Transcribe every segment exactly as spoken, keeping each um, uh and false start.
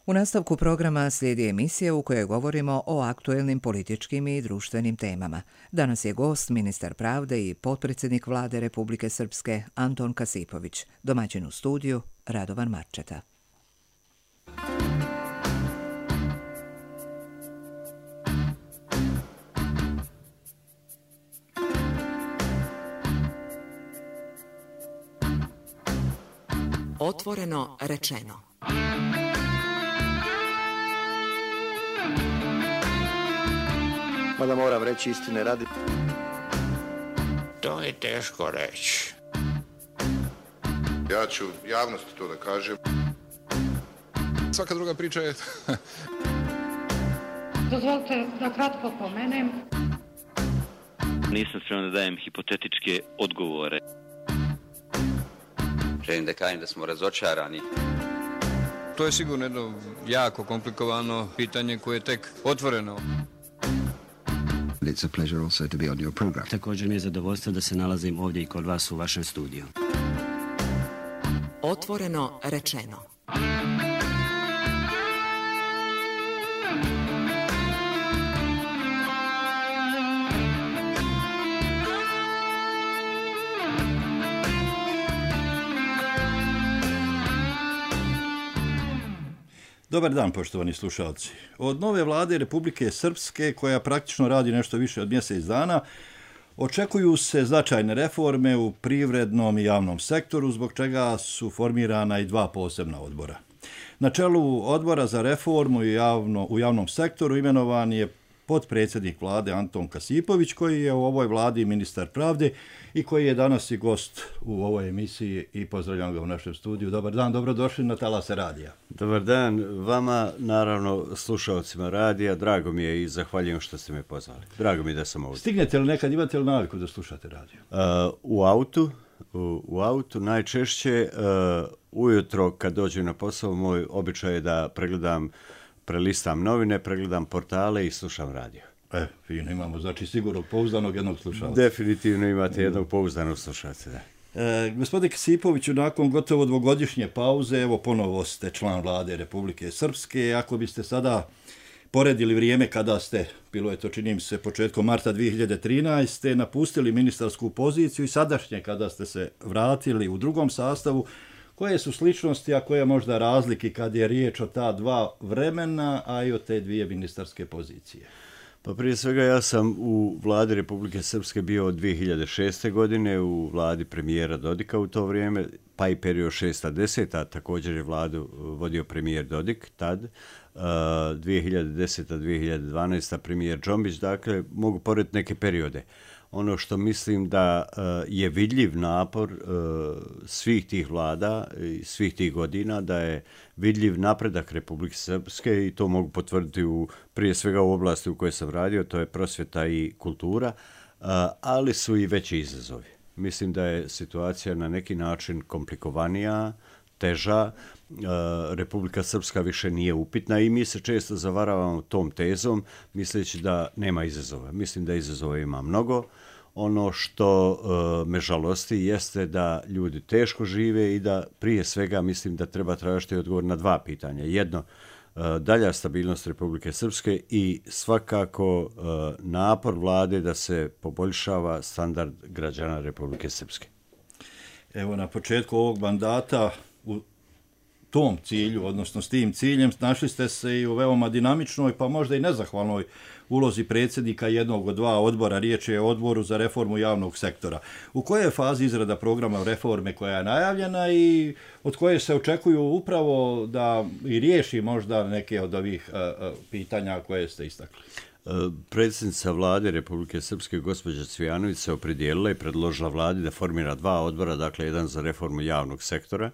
U nastavku programa slijedi emisija u kojoj govorimo o aktuelnim političkim i društvenim temama. Danas je gost ministar pravde i potpredsjednik vlade Republike Srpske Anton Kasipović, domaćin u studiju Radovan Marčeta. Otvoreno rečeno. Mada moram reći istine radi. To je teško reći. Ja ću javnosti to da kažem. Svaka druga priča je... Dozvolite da kratko pomenem. Nisam spreman da dajem hipotetičke odgovore. Želim da kažem da smo razočarani. To je sigurno jedno jako komplikovano pitanje koje je tek otvoreno. It's a pleasure also to be on your program. Također mi je zadovoljstvo da se nalazim ovdje i kod vas u vašem studiju. Otvoreno rečeno. Dobar dan, poštovani slušalci. Od nove vlade Republike Srpske, koja praktično radi nešto više od mjesec dana, očekuju se značajne reforme u privrednom i javnom sektoru, zbog čega su formirana i dva posebna odbora. Na čelu odbora za reformu i javno, u javnom sektoru imenovan je potpredsjednik vlade Anton Kasipović, koji je u ovoj vladi ministar pravde i koji je danas i gost u ovoj emisiji i pozdravljam ga u našem studiju. Dobar dan, dobrodošli na Talase radija. Dobar dan vama, naravno slušalcima radija, drago mi je i zahvaljujem što ste me pozvali. Drago mi je da sam ovdje. Stignete li nekad, imate li naviku da slušate radio? Uh, u autu, u, u autu najčešće uh, ujutro kad dođem na posao, moj običaj je da pregledam prelistam novine, pregledam portale i slušam radio. E, fino, imamo, znači sigurno pouzdanog jednog slušalca. Definitivno imate jednog pouzdanog slušalca, da. E, gospodine Kasipoviću, nakon gotovo dvogodišnje pauze, evo ponovo ste član vlade Republike Srpske. Ako biste sada poredili vrijeme kada ste, bilo je to čini mi se početkom marta dvije hiljade trinaeste. napustili ministarsku poziciju i sadašnje kada ste se vratili u drugom sastavu, koje su sličnosti, a koje možda razlike kad je riječ o ta dva vremena, a i o te dvije ministarske pozicije? Pa prije svega ja sam u vladi Republike Srpske bio od dvije hiljade šeste. godine, u vladi premijera Dodika u to vrijeme, pa i period šesta deseta. također je vladu vodio premijer Dodik tad, uh, dvije hiljade deseta. dvije hiljade dvanaesta. premijer Džombić, dakle mogu porediti neke periode. Ono što mislim da uh, je vidljiv napor uh, svih tih vlada i svih tih godina, da je vidljiv napredak Republike Srpske i to mogu potvrditi u, prije svega u oblasti u kojoj sam radio, to je prosvjeta i kultura, uh, ali su i veći izazovi. Mislim da je situacija na neki način komplikovanija, teža, uh, Republika Srpska više nije upitna i mi se često zavaravamo tom tezom misleći da nema izazova. Mislim da izazova ima mnogo. Ono što uh, me žalosti jeste da ljudi teško žive i da prije svega mislim da treba tražiti odgovor na dva pitanja. Jedno, uh, dalja stabilnost Republike Srpske i svakako uh, napor vlade da se poboljšava standard građana Republike Srpske. Evo, na početku ovog mandata u tom cilju, odnosno s tim ciljem, našli ste se i u veoma dinamičnoj, pa možda i nezahvalnoj ulozi predsjednika jednog od dva odbora. Riječ je o odboru za reformu javnog sektora. U kojoj je fazi izrada programa reforme koja je najavljena i od koje se očekuju upravo da i riješi možda neke od ovih uh, uh, pitanja koje ste istakli? Predsjednica vlade Republike Srpske, gospođa Cvijanović, se opredijelila i predložila vladi da formira dva odbora, dakle jedan za reformu javnog sektora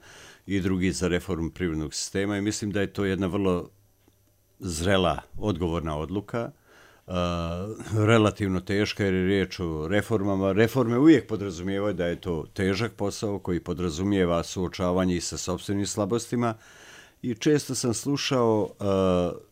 i drugi za reformu privrednog sistema i mislim da je to jedna vrlo zrela, odgovorna odluka, uh, relativno teška jer je riječ o reformama. Reforme uvijek podrazumijevaju da je to težak posao koji podrazumijeva suočavanje i sa sopstvenim slabostima i često sam slušao uh,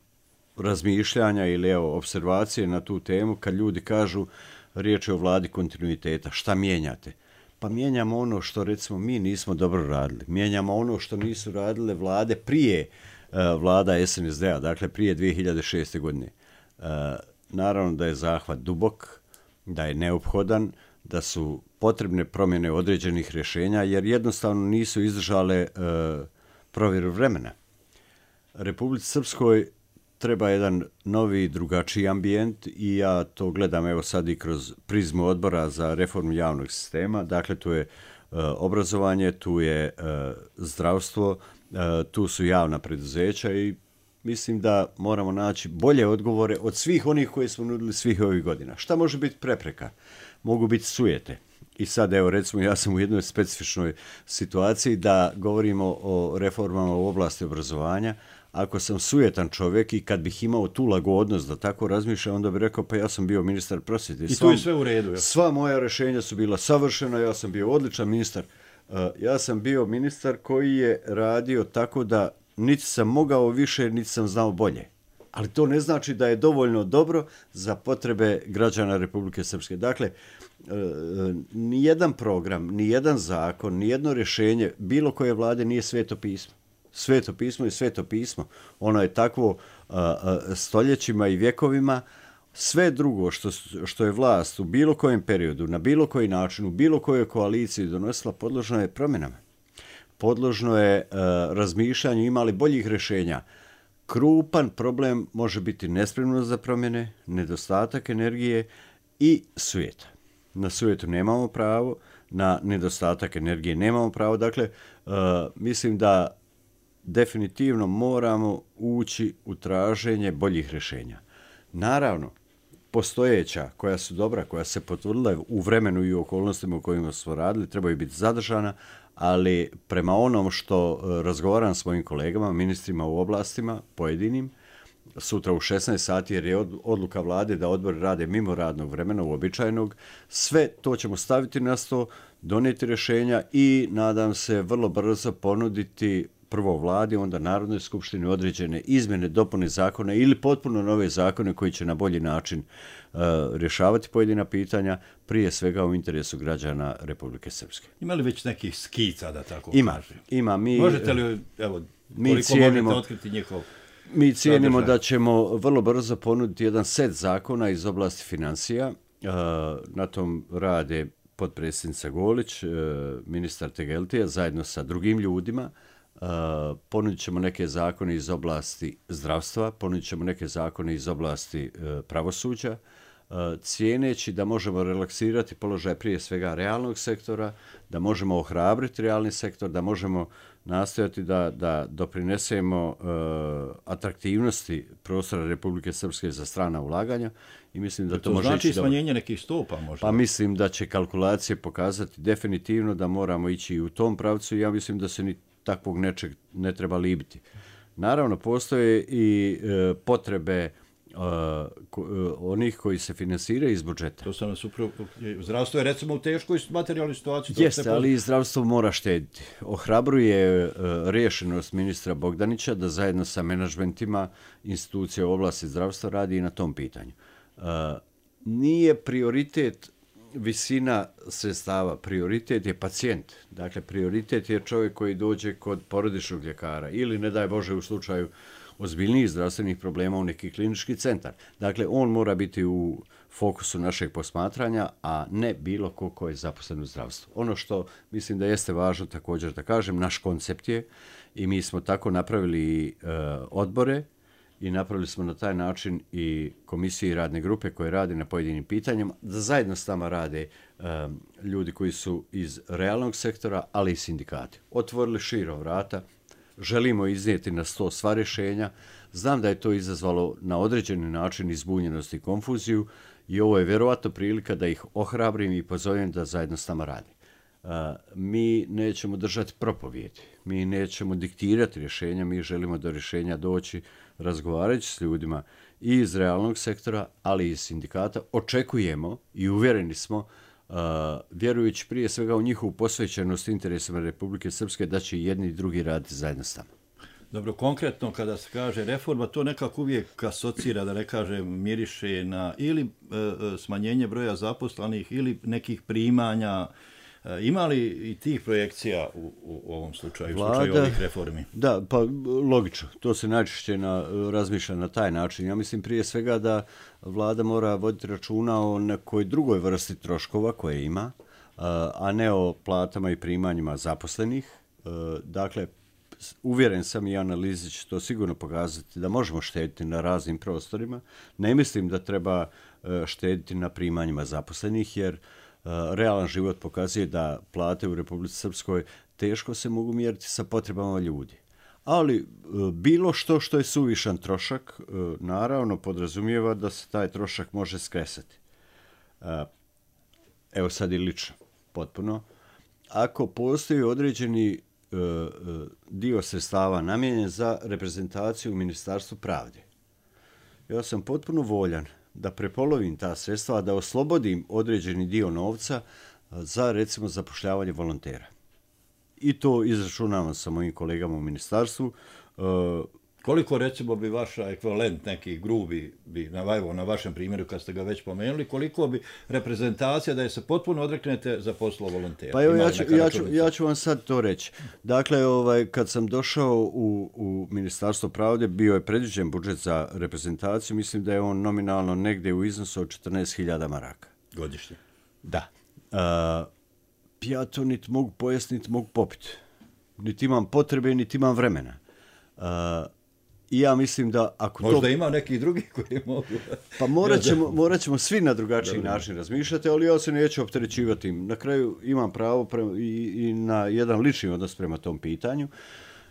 razmišljanja ili evo, observacije na tu temu kad ljudi kažu riječ je o vladi kontinuiteta. Šta mijenjate? Pa mijenjamo ono što recimo mi nismo dobro radili. Mijenjamo ono što nisu radile vlade prije vlada S N S D-a, dakle prije dvije hiljade šeste. godine. Naravno da je zahvat dubok, da je neophodan, da su potrebne promjene određenih rješenja, jer jednostavno nisu izdržale provjeru vremena. Republici Srpskoj treba jedan novi, drugačiji ambijent i ja to gledam evo sad i kroz prizmu odbora za reformu javnog sistema. Dakle, tu je uh, obrazovanje, tu je uh, zdravstvo, uh, tu su javna preduzeća i mislim da moramo naći bolje odgovore od svih onih koje smo nudili svih ovih godina. Šta može biti prepreka? Mogu biti sujete. I sad, evo, recimo, ja sam u jednoj specifičnoj situaciji da govorimo o reformama u oblasti obrazovanja. Ako sam sujetan čovjek i kad bih imao tu lagodnost da tako razmišljam, onda bih rekao, pa ja sam bio ministar prosvjete. I tu je sve u redu. Ja. Sva moja rješenja su bila savršena, ja sam bio odličan ministar. Uh, ja sam bio ministar koji je radio tako da niti sam mogao više, niti sam znao bolje. Ali to ne znači da je dovoljno dobro za potrebe građana Republike Srpske. Dakle, nijedan program, nijedan zakon, nijedno rješenje bilo koje vlade nije sveto pismo. Sveto pismo je sveto pismo. Ono je takvo stoljećima i vjekovima. Sve drugo što, što je vlast u bilo kojem periodu, na bilo koji način, u bilo kojoj koaliciji donosila, podložno je promjenama. Podložno je razmišljanju, imali boljih rješenja. Krupan problem može biti nespremnost za promjene, nedostatak energije i sujeta. Na sujetu nemamo pravo, na nedostatak energije nemamo pravo. Dakle, uh, mislim da definitivno moramo ući u traženje boljih rješenja. Naravno, postojeća, koja su dobra, koja se potvrdila u vremenu i u okolnostima u kojima smo radili, trebaju biti zadržana, ali prema onom što razgovaram s mojim kolegama, ministrima u oblastima, pojedinim, sutra u šesnaest sati, jer je odluka vlade da odbori rade mimo radnog vremena, uobičajenog, sve to ćemo staviti na sto, donijeti rješenja i nadam se vrlo brzo ponuditi prvo vladi, onda Narodnoj skupštini određene izmjene, dopune zakona ili potpuno nove zakone koji će na bolji način uh, rješavati pojedina pitanja, prije svega u interesu građana Republike Srpske. Ima li već nekih skica, da tako ima, kažem? Ima. Mi, možete li, evo, mi koliko cijenimo, možete otkriti njihov Mi cijenimo sadržaj? Da ćemo vrlo brzo ponuditi jedan set zakona iz oblasti financija. Uh, na tom rade potpredsjednica Golić, uh, ministar Tegeltija, zajedno sa drugim ljudima. Uh, ponudit ćemo neke zakone iz oblasti zdravstva, ponudit ćemo neke zakone iz oblasti uh, pravosuđa, uh, cijeneći da možemo relaksirati položaj prije svega realnog sektora, da možemo ohrabriti realni sektor, da možemo nastojati da, da doprinesemo uh, atraktivnosti prostora Republike Srpske za strana ulaganja i mislim da to, to može znači ići smanjenje da... nekih stopa možda. Pa mislim da će kalkulacije pokazati definitivno da moramo ići i u tom pravcu i ja mislim da se ni takvog nečeg ne treba libiti. Naravno, postoje i e, potrebe Uh, ko, uh, onih koji se finansiraju iz budžeta. To sam nas upravo... Zdravstvo je recimo u teškoj materijalnoj situaciji. Jeste, ali i zdravstvo mora štediti. Ohrabruje uh, rješenost ministra Bogdanića da zajedno sa menadžmentima institucije u oblasti zdravstva radi i na tom pitanju. Uh, nije prioritet visina sredstava, prioritet je pacijent. Dakle, prioritet je čovjek koji dođe kod porodičnog ljekara ili, ne daj Bože, u slučaju ozbiljnijih zdravstvenih problema u neki klinički centar. Dakle, on mora biti u fokusu našeg posmatranja, a ne bilo ko ko je zaposlen u zdravstvu. Ono što mislim da jeste važno također da kažem, naš koncept je, i mi smo tako napravili e, odbore i napravili smo na taj način i komisije i radne grupe koje rade na pojedinim pitanjima, da zajedno s nama rade e, ljudi koji su iz realnog sektora, ali i sindikati. Otvorili širo vrata, želimo iznijeti na sto sva rješenja. Znam da je to izazvalo na određeni način izbunjenost i konfuziju i ovo je vjerovatno prilika da ih ohrabrim i pozovem da zajedno s nama radi. Uh, mi nećemo držati propovjedi, mi nećemo diktirati rješenja, mi želimo do rješenja doći razgovarajući s ljudima i iz realnog sektora, ali i iz sindikata. Očekujemo i uvjereni smo, Uh, vjerujući prije svega u njihovu posvećenost interesima Republike Srpske, da će i jedni i drugi raditi zajedno s nama. Dobro, konkretno kada se kaže reforma, to nekako uvijek asocira, da ne kažem, miriše na ili e, smanjenje broja zaposlenih ili nekih primanja Ima li i tih projekcija u, u ovom slučaju, u Vlada, slučaju ovih reformi? Da, pa logično. To se najčešće na, razmišlja na taj način. Ja mislim prije svega da vlada mora voditi računa o nekoj drugoj vrsti troškova koje ima, a ne o platama i primanjima zaposlenih. Dakle, uvjeren sam i analizi će to sigurno pokazati da možemo štediti na raznim prostorima. Ne mislim da treba štediti na primanjima zaposlenih, jer realan život pokazuje da plate u Republici Srpskoj teško se mogu mjeriti sa potrebama ljudi. Ali bilo što što je suvišan trošak, naravno podrazumijeva da se taj trošak može skresati. Evo sad i lično, potpuno. Ako postoji određeni dio sredstava namijenjen za reprezentaciju u Ministarstvu pravde, ja sam potpuno voljan da prepolovim ta sredstva, da oslobodim određeni dio novca za, recimo, zapošljavanje volontera. I to izračunavam sa mojim kolegama u ministarstvu. Koliko, recimo, bi vaša ekvivalent, neki grubi, bi, na, na vašem primjeru, kad ste ga već pomenuli, koliko bi reprezentacija da je se potpuno odreknete za poslo volontera? Pa evo, ja ću, ja, ću, ja ću vam sad to reći. Dakle, ovaj, kad sam došao u, u Ministarstvo pravde, bio je predviđen budžet za reprezentaciju, mislim da je on nominalno negdje u iznosu od četrnaest hiljada maraka. Godišnje? Da. Uh, ja to niti mogu pojesti, niti mogu popiti. Niti imam potrebe, niti imam vremena. Uh, I ja mislim da ako Možda to... ima neki drugi koji mogu... Pa morat ćemo, morat ćemo svi na drugačiji način razmišljati, ali ja se neću opterećivati. Na kraju imam pravo prema, i, i na jedan lični odnos prema tom pitanju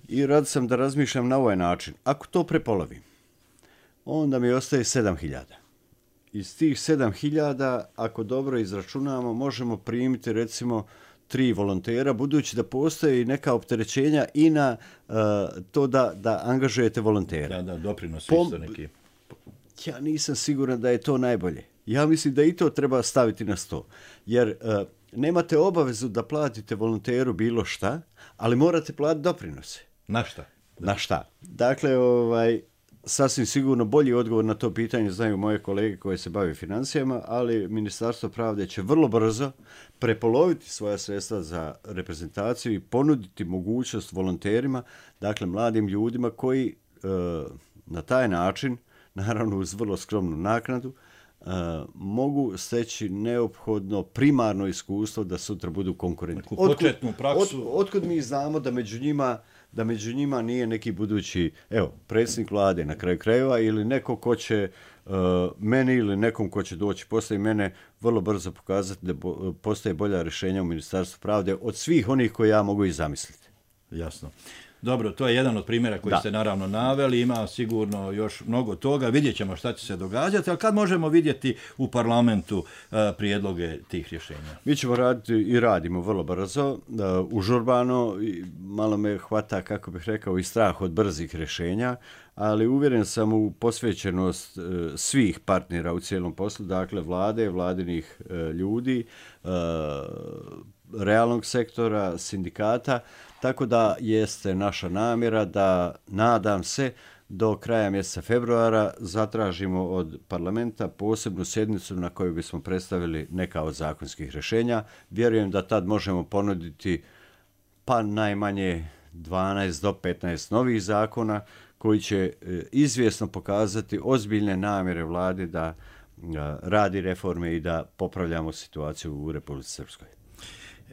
i rad sam da razmišljam na ovaj način. Ako to prepolovim, onda mi ostaje sedam hiljada. Iz tih sedam hiljada, ako dobro izračunamo, možemo primiti recimo tri volontera, budući da postoje neka opterećenja i na uh, to da, da angažujete volontera. Da, da, doprinosi Pom- isto neki. Ja nisam siguran da je to najbolje. Ja mislim da i to treba staviti na sto. Jer uh, nemate obavezu da platite volonteru bilo šta, ali morate platiti doprinose. Na šta? Da. Na šta? Dakle, ovaj, sasvim sigurno bolji odgovor na to pitanje znaju moje kolege koje se bave financijama, ali Ministarstvo pravde će vrlo brzo prepoloviti svoja sredstva za reprezentaciju i ponuditi mogućnost volonterima, dakle mladim ljudima koji e, na taj način, naravno uz vrlo skromnu naknadu, e, mogu steći neophodno primarno iskustvo da sutra budu konkurentni. Početnu praksu. Od, otkud mi znamo da među njima da među njima nije neki budući, evo, predsjednik vlade na kraju krajeva ili neko ko će uh, meni ili nekom ko će doći poslije mene vrlo brzo pokazati da bo, postoje bolja rješenja u Ministarstvu pravde od svih onih koje ja mogu i zamisliti. Jasno. Dobro, to je jedan od primjera koji da. ste naravno naveli, ima sigurno još mnogo toga, vidjet ćemo šta će se događati, ali kad možemo vidjeti u parlamentu uh, prijedloge tih rješenja? Mi ćemo raditi i radimo vrlo brzo, uh, užurbano, malo me hvata, kako bih rekao, i strah od brzih rješenja, ali uvjeren sam u posvećenost uh, svih partnera u cijelom poslu, dakle vlade, vladinih uh, ljudi, uh, realnog sektora, sindikata, tako da jeste naša namjera da, nadam se, do kraja mjeseca februara zatražimo od parlamenta posebnu sjednicu na kojoj bismo predstavili neka od zakonskih rješenja. Vjerujem da tad možemo ponuditi pa najmanje dvanaest do petnaest novih zakona koji će izvjesno pokazati ozbiljne namjere vlade da radi reforme i da popravljamo situaciju u Republici Srpskoj.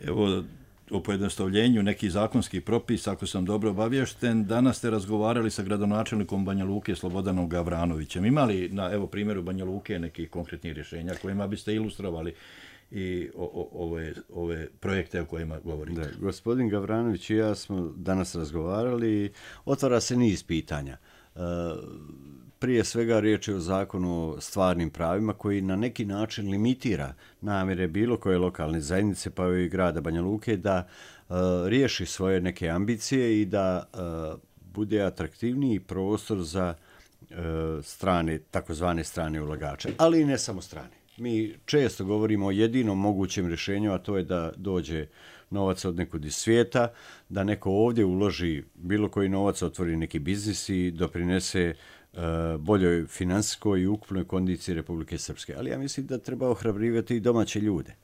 Evo, o pojednostavljenju nekih zakonskih propisa, ako sam dobro obavješten, danas ste razgovarali sa gradonačelnikom Banja Luke Slobodanom Gavranovićem. Ima li na evo primjeru Banja Luke nekih konkretnih rješenja kojima biste ilustrovali i o, o, ove, ove projekte o kojima govorite? Da, gospodin Gavranović i ja smo danas razgovarali i otvara se niz pitanja. E, prije svega riječ je o zakonu o stvarnim pravima koji na neki način limitira namjere bilo koje lokalne zajednice pa i grada Banja Luke da e, riješi svoje neke ambicije i da e, bude atraktivniji prostor za e, strane, takozvane strane ulagače, ali i ne samo strane. Mi često govorimo o jedinom mogućem rješenju, a to je da dođe novac od nekud iz svijeta, da neko ovdje uloži bilo koji novac, otvori neki biznis i doprinese uh, boljoj finansijskoj i ukupnoj kondiciji Republike Srpske. Ali ja mislim da treba ohrabrivati i domaće ljude.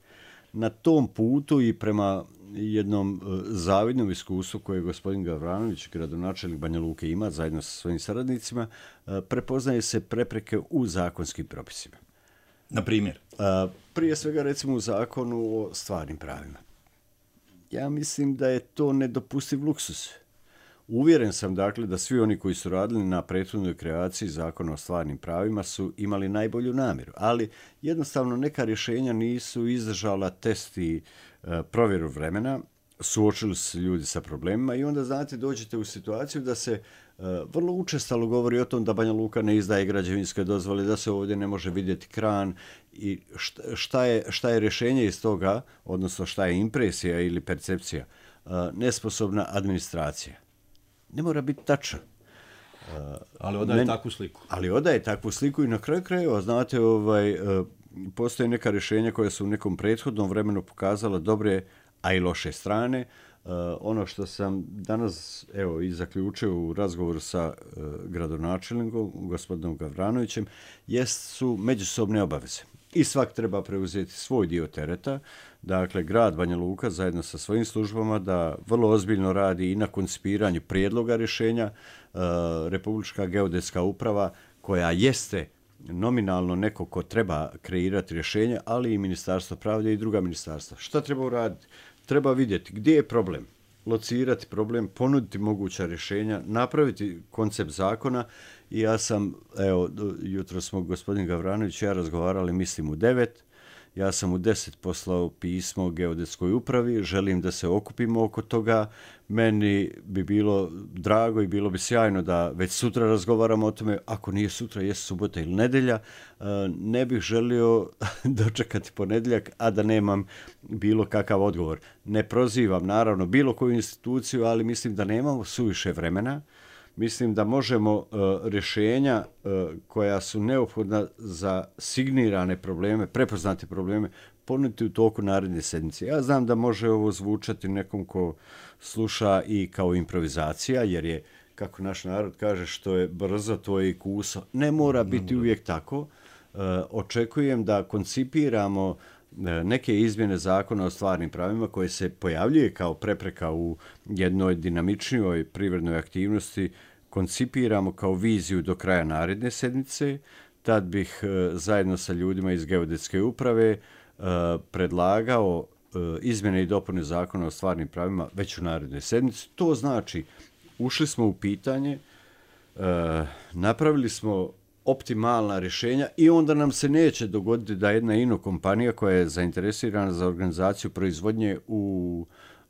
na tom putu i prema jednom zavidnom iskustvu koje gospodin Gavranović, gradonačelnik Banja Luke, ima zajedno sa svojim saradnicima, prepoznaje se prepreke u zakonskim propisima. Na primjer? Prije svega recimo u zakonu o stvarnim pravima. Ja mislim da je to nedopustiv luksus. Uvjeren sam dakle da svi oni koji su radili na prethodnoj kreaciji zakona o stvarnim pravima su imali najbolju namjeru, ali jednostavno neka rješenja nisu izdržala test i e, provjeru vremena, suočili su ljudi sa problemima i onda, znate, dođete u situaciju da se e, vrlo učestalo govori o tom da Banja Luka ne izdaje građevinske dozvole, da se ovdje ne može vidjeti kran i šta je, šta je rješenje iz toga, odnosno šta je impresija ili percepcija, e, nesposobna administracija. Ne mora biti tačan. Uh, ali odaje Men, takvu sliku. Ali odaje takvu sliku i na kraju krajeva, znate, ovaj, uh, postoje neka rješenja koja su u nekom prethodnom vremenu pokazala dobre, a i loše strane. Uh, ono što sam danas, evo, i zaključio u razgovoru sa uh, gradonačelnikom, gospodinom Gavranovićem, jest su međusobne obaveze. I svak treba preuzeti svoj dio tereta. Dakle, grad Banja Luka zajedno sa svojim službama da vrlo ozbiljno radi i na koncipiranju prijedloga rješenja. E, Republička geodetska uprava koja jeste nominalno neko ko treba kreirati rješenje, ali i Ministarstvo pravde i druga ministarstva. Šta treba uraditi? Treba vidjeti gdje je problem, locirati problem, ponuditi moguća rješenja, napraviti koncept zakona. I ja sam, evo, jutro smo gospodin Gavranović i ja razgovarali, mislim u devet. Ja sam u deset poslao pismo geodetskoj upravi, želim da se okupimo oko toga. Meni bi bilo drago i bilo bi sjajno da već sutra razgovaramo o tome, ako nije sutra, jest subota ili nedjelja. Ne bih želio dočekati ponedjeljak, a da nemam bilo kakav odgovor. Ne prozivam, naravno, bilo koju instituciju, ali mislim da nemamo suviše vremena. Mislim da možemo uh, rješenja uh, koja su neophodna za signirane probleme, prepoznate probleme, ponuditi u toku naredne sedmice. Ja znam da može ovo zvučati nekom ko sluša i kao improvizacija, jer je, kako naš narod kaže, što je brzo, to je i kuso. Ne mora biti uvijek tako. Uh, očekujem da koncipiramo neke izmjene zakona o stvarnim pravima koje se pojavljuje kao prepreka u jednoj dinamičnijoj privrednoj aktivnosti, koncipiramo kao viziju do kraja naredne sedmice. Tad bih zajedno sa ljudima iz geodetske uprave predlagao izmjene i dopune zakona o stvarnim pravima već u narednoj sedmici. To znači, ušli smo u pitanje, napravili smo optimalna rješenja i onda nam se neće dogoditi da jedna ino kompanija koja je zainteresirana za organizaciju proizvodnje u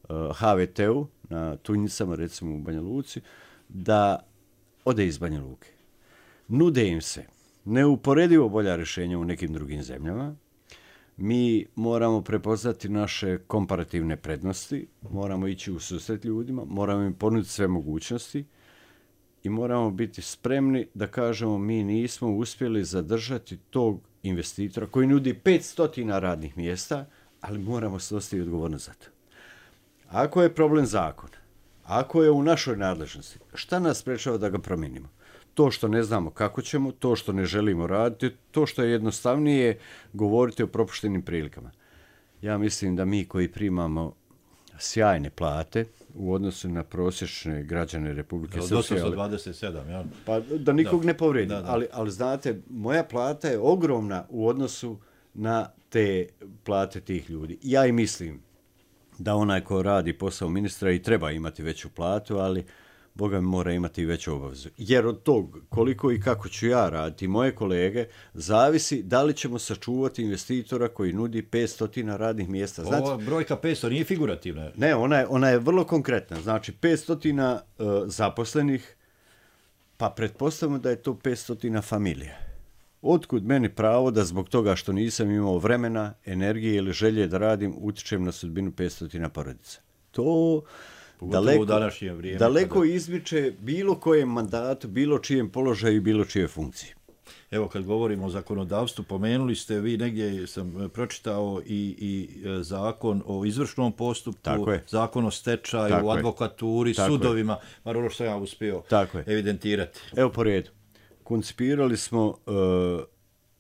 uh, H V T-u, na Tunjicama, recimo u Banja Luci, da ode iz Banja Luke. Nude im se neuporedivo bolja rješenja u nekim drugim zemljama. Mi moramo prepoznati naše komparativne prednosti, moramo ići u susret ljudima, moramo im ponuditi sve mogućnosti, i moramo biti spremni da kažemo mi nismo uspjeli zadržati tog investitora koji nudi petsto radnih mjesta, ali moramo snositi odgovornost za to. Ako je problem zakon, ako je u našoj nadležnosti, šta nas sprečava da ga promijenimo? To što ne znamo kako ćemo, to što ne želimo raditi, to što je jednostavnije govoriti o propuštenim prilikama. Ja mislim da mi koji primamo sjajne plate u odnosu na prosječne građane Republike Srpske. osamsto dvadeset sedam, ja. Pa da nikog da. ne povredim, Da, da. ali, ali znate, moja plata je ogromna u odnosu na te plate tih ljudi. Ja i mislim da onaj ko radi posao ministra i treba imati veću platu, ali Boga mi mora imati i veću obavezu. Jer od tog koliko i kako ću ja raditi, moje kolege, zavisi da li ćemo sačuvati investitora koji nudi petsto radnih mjesta. Znate, ova brojka petsto nije figurativna. Ne, ona je, ona je vrlo konkretna. Znači, petsto uh, zaposlenih, pa pretpostavimo da je to petsto familija. Otkud meni pravo da zbog toga što nisam imao vremena, energije ili želje da radim, utičem na sudbinu petsto porodica? To daleko, vrijeme, daleko kada... izmiče bilo kojem mandatu, bilo čijem položaju i bilo čije funkcije. Evo, kad govorimo o zakonodavstvu, pomenuli ste, vi negdje sam pročitao i, i zakon o izvršnom postupku, zakon o stečaju, Tako advokaturi, Tako sudovima, bar ono što ja uspio evidentirati. Evo po redu. Koncipirali smo uh,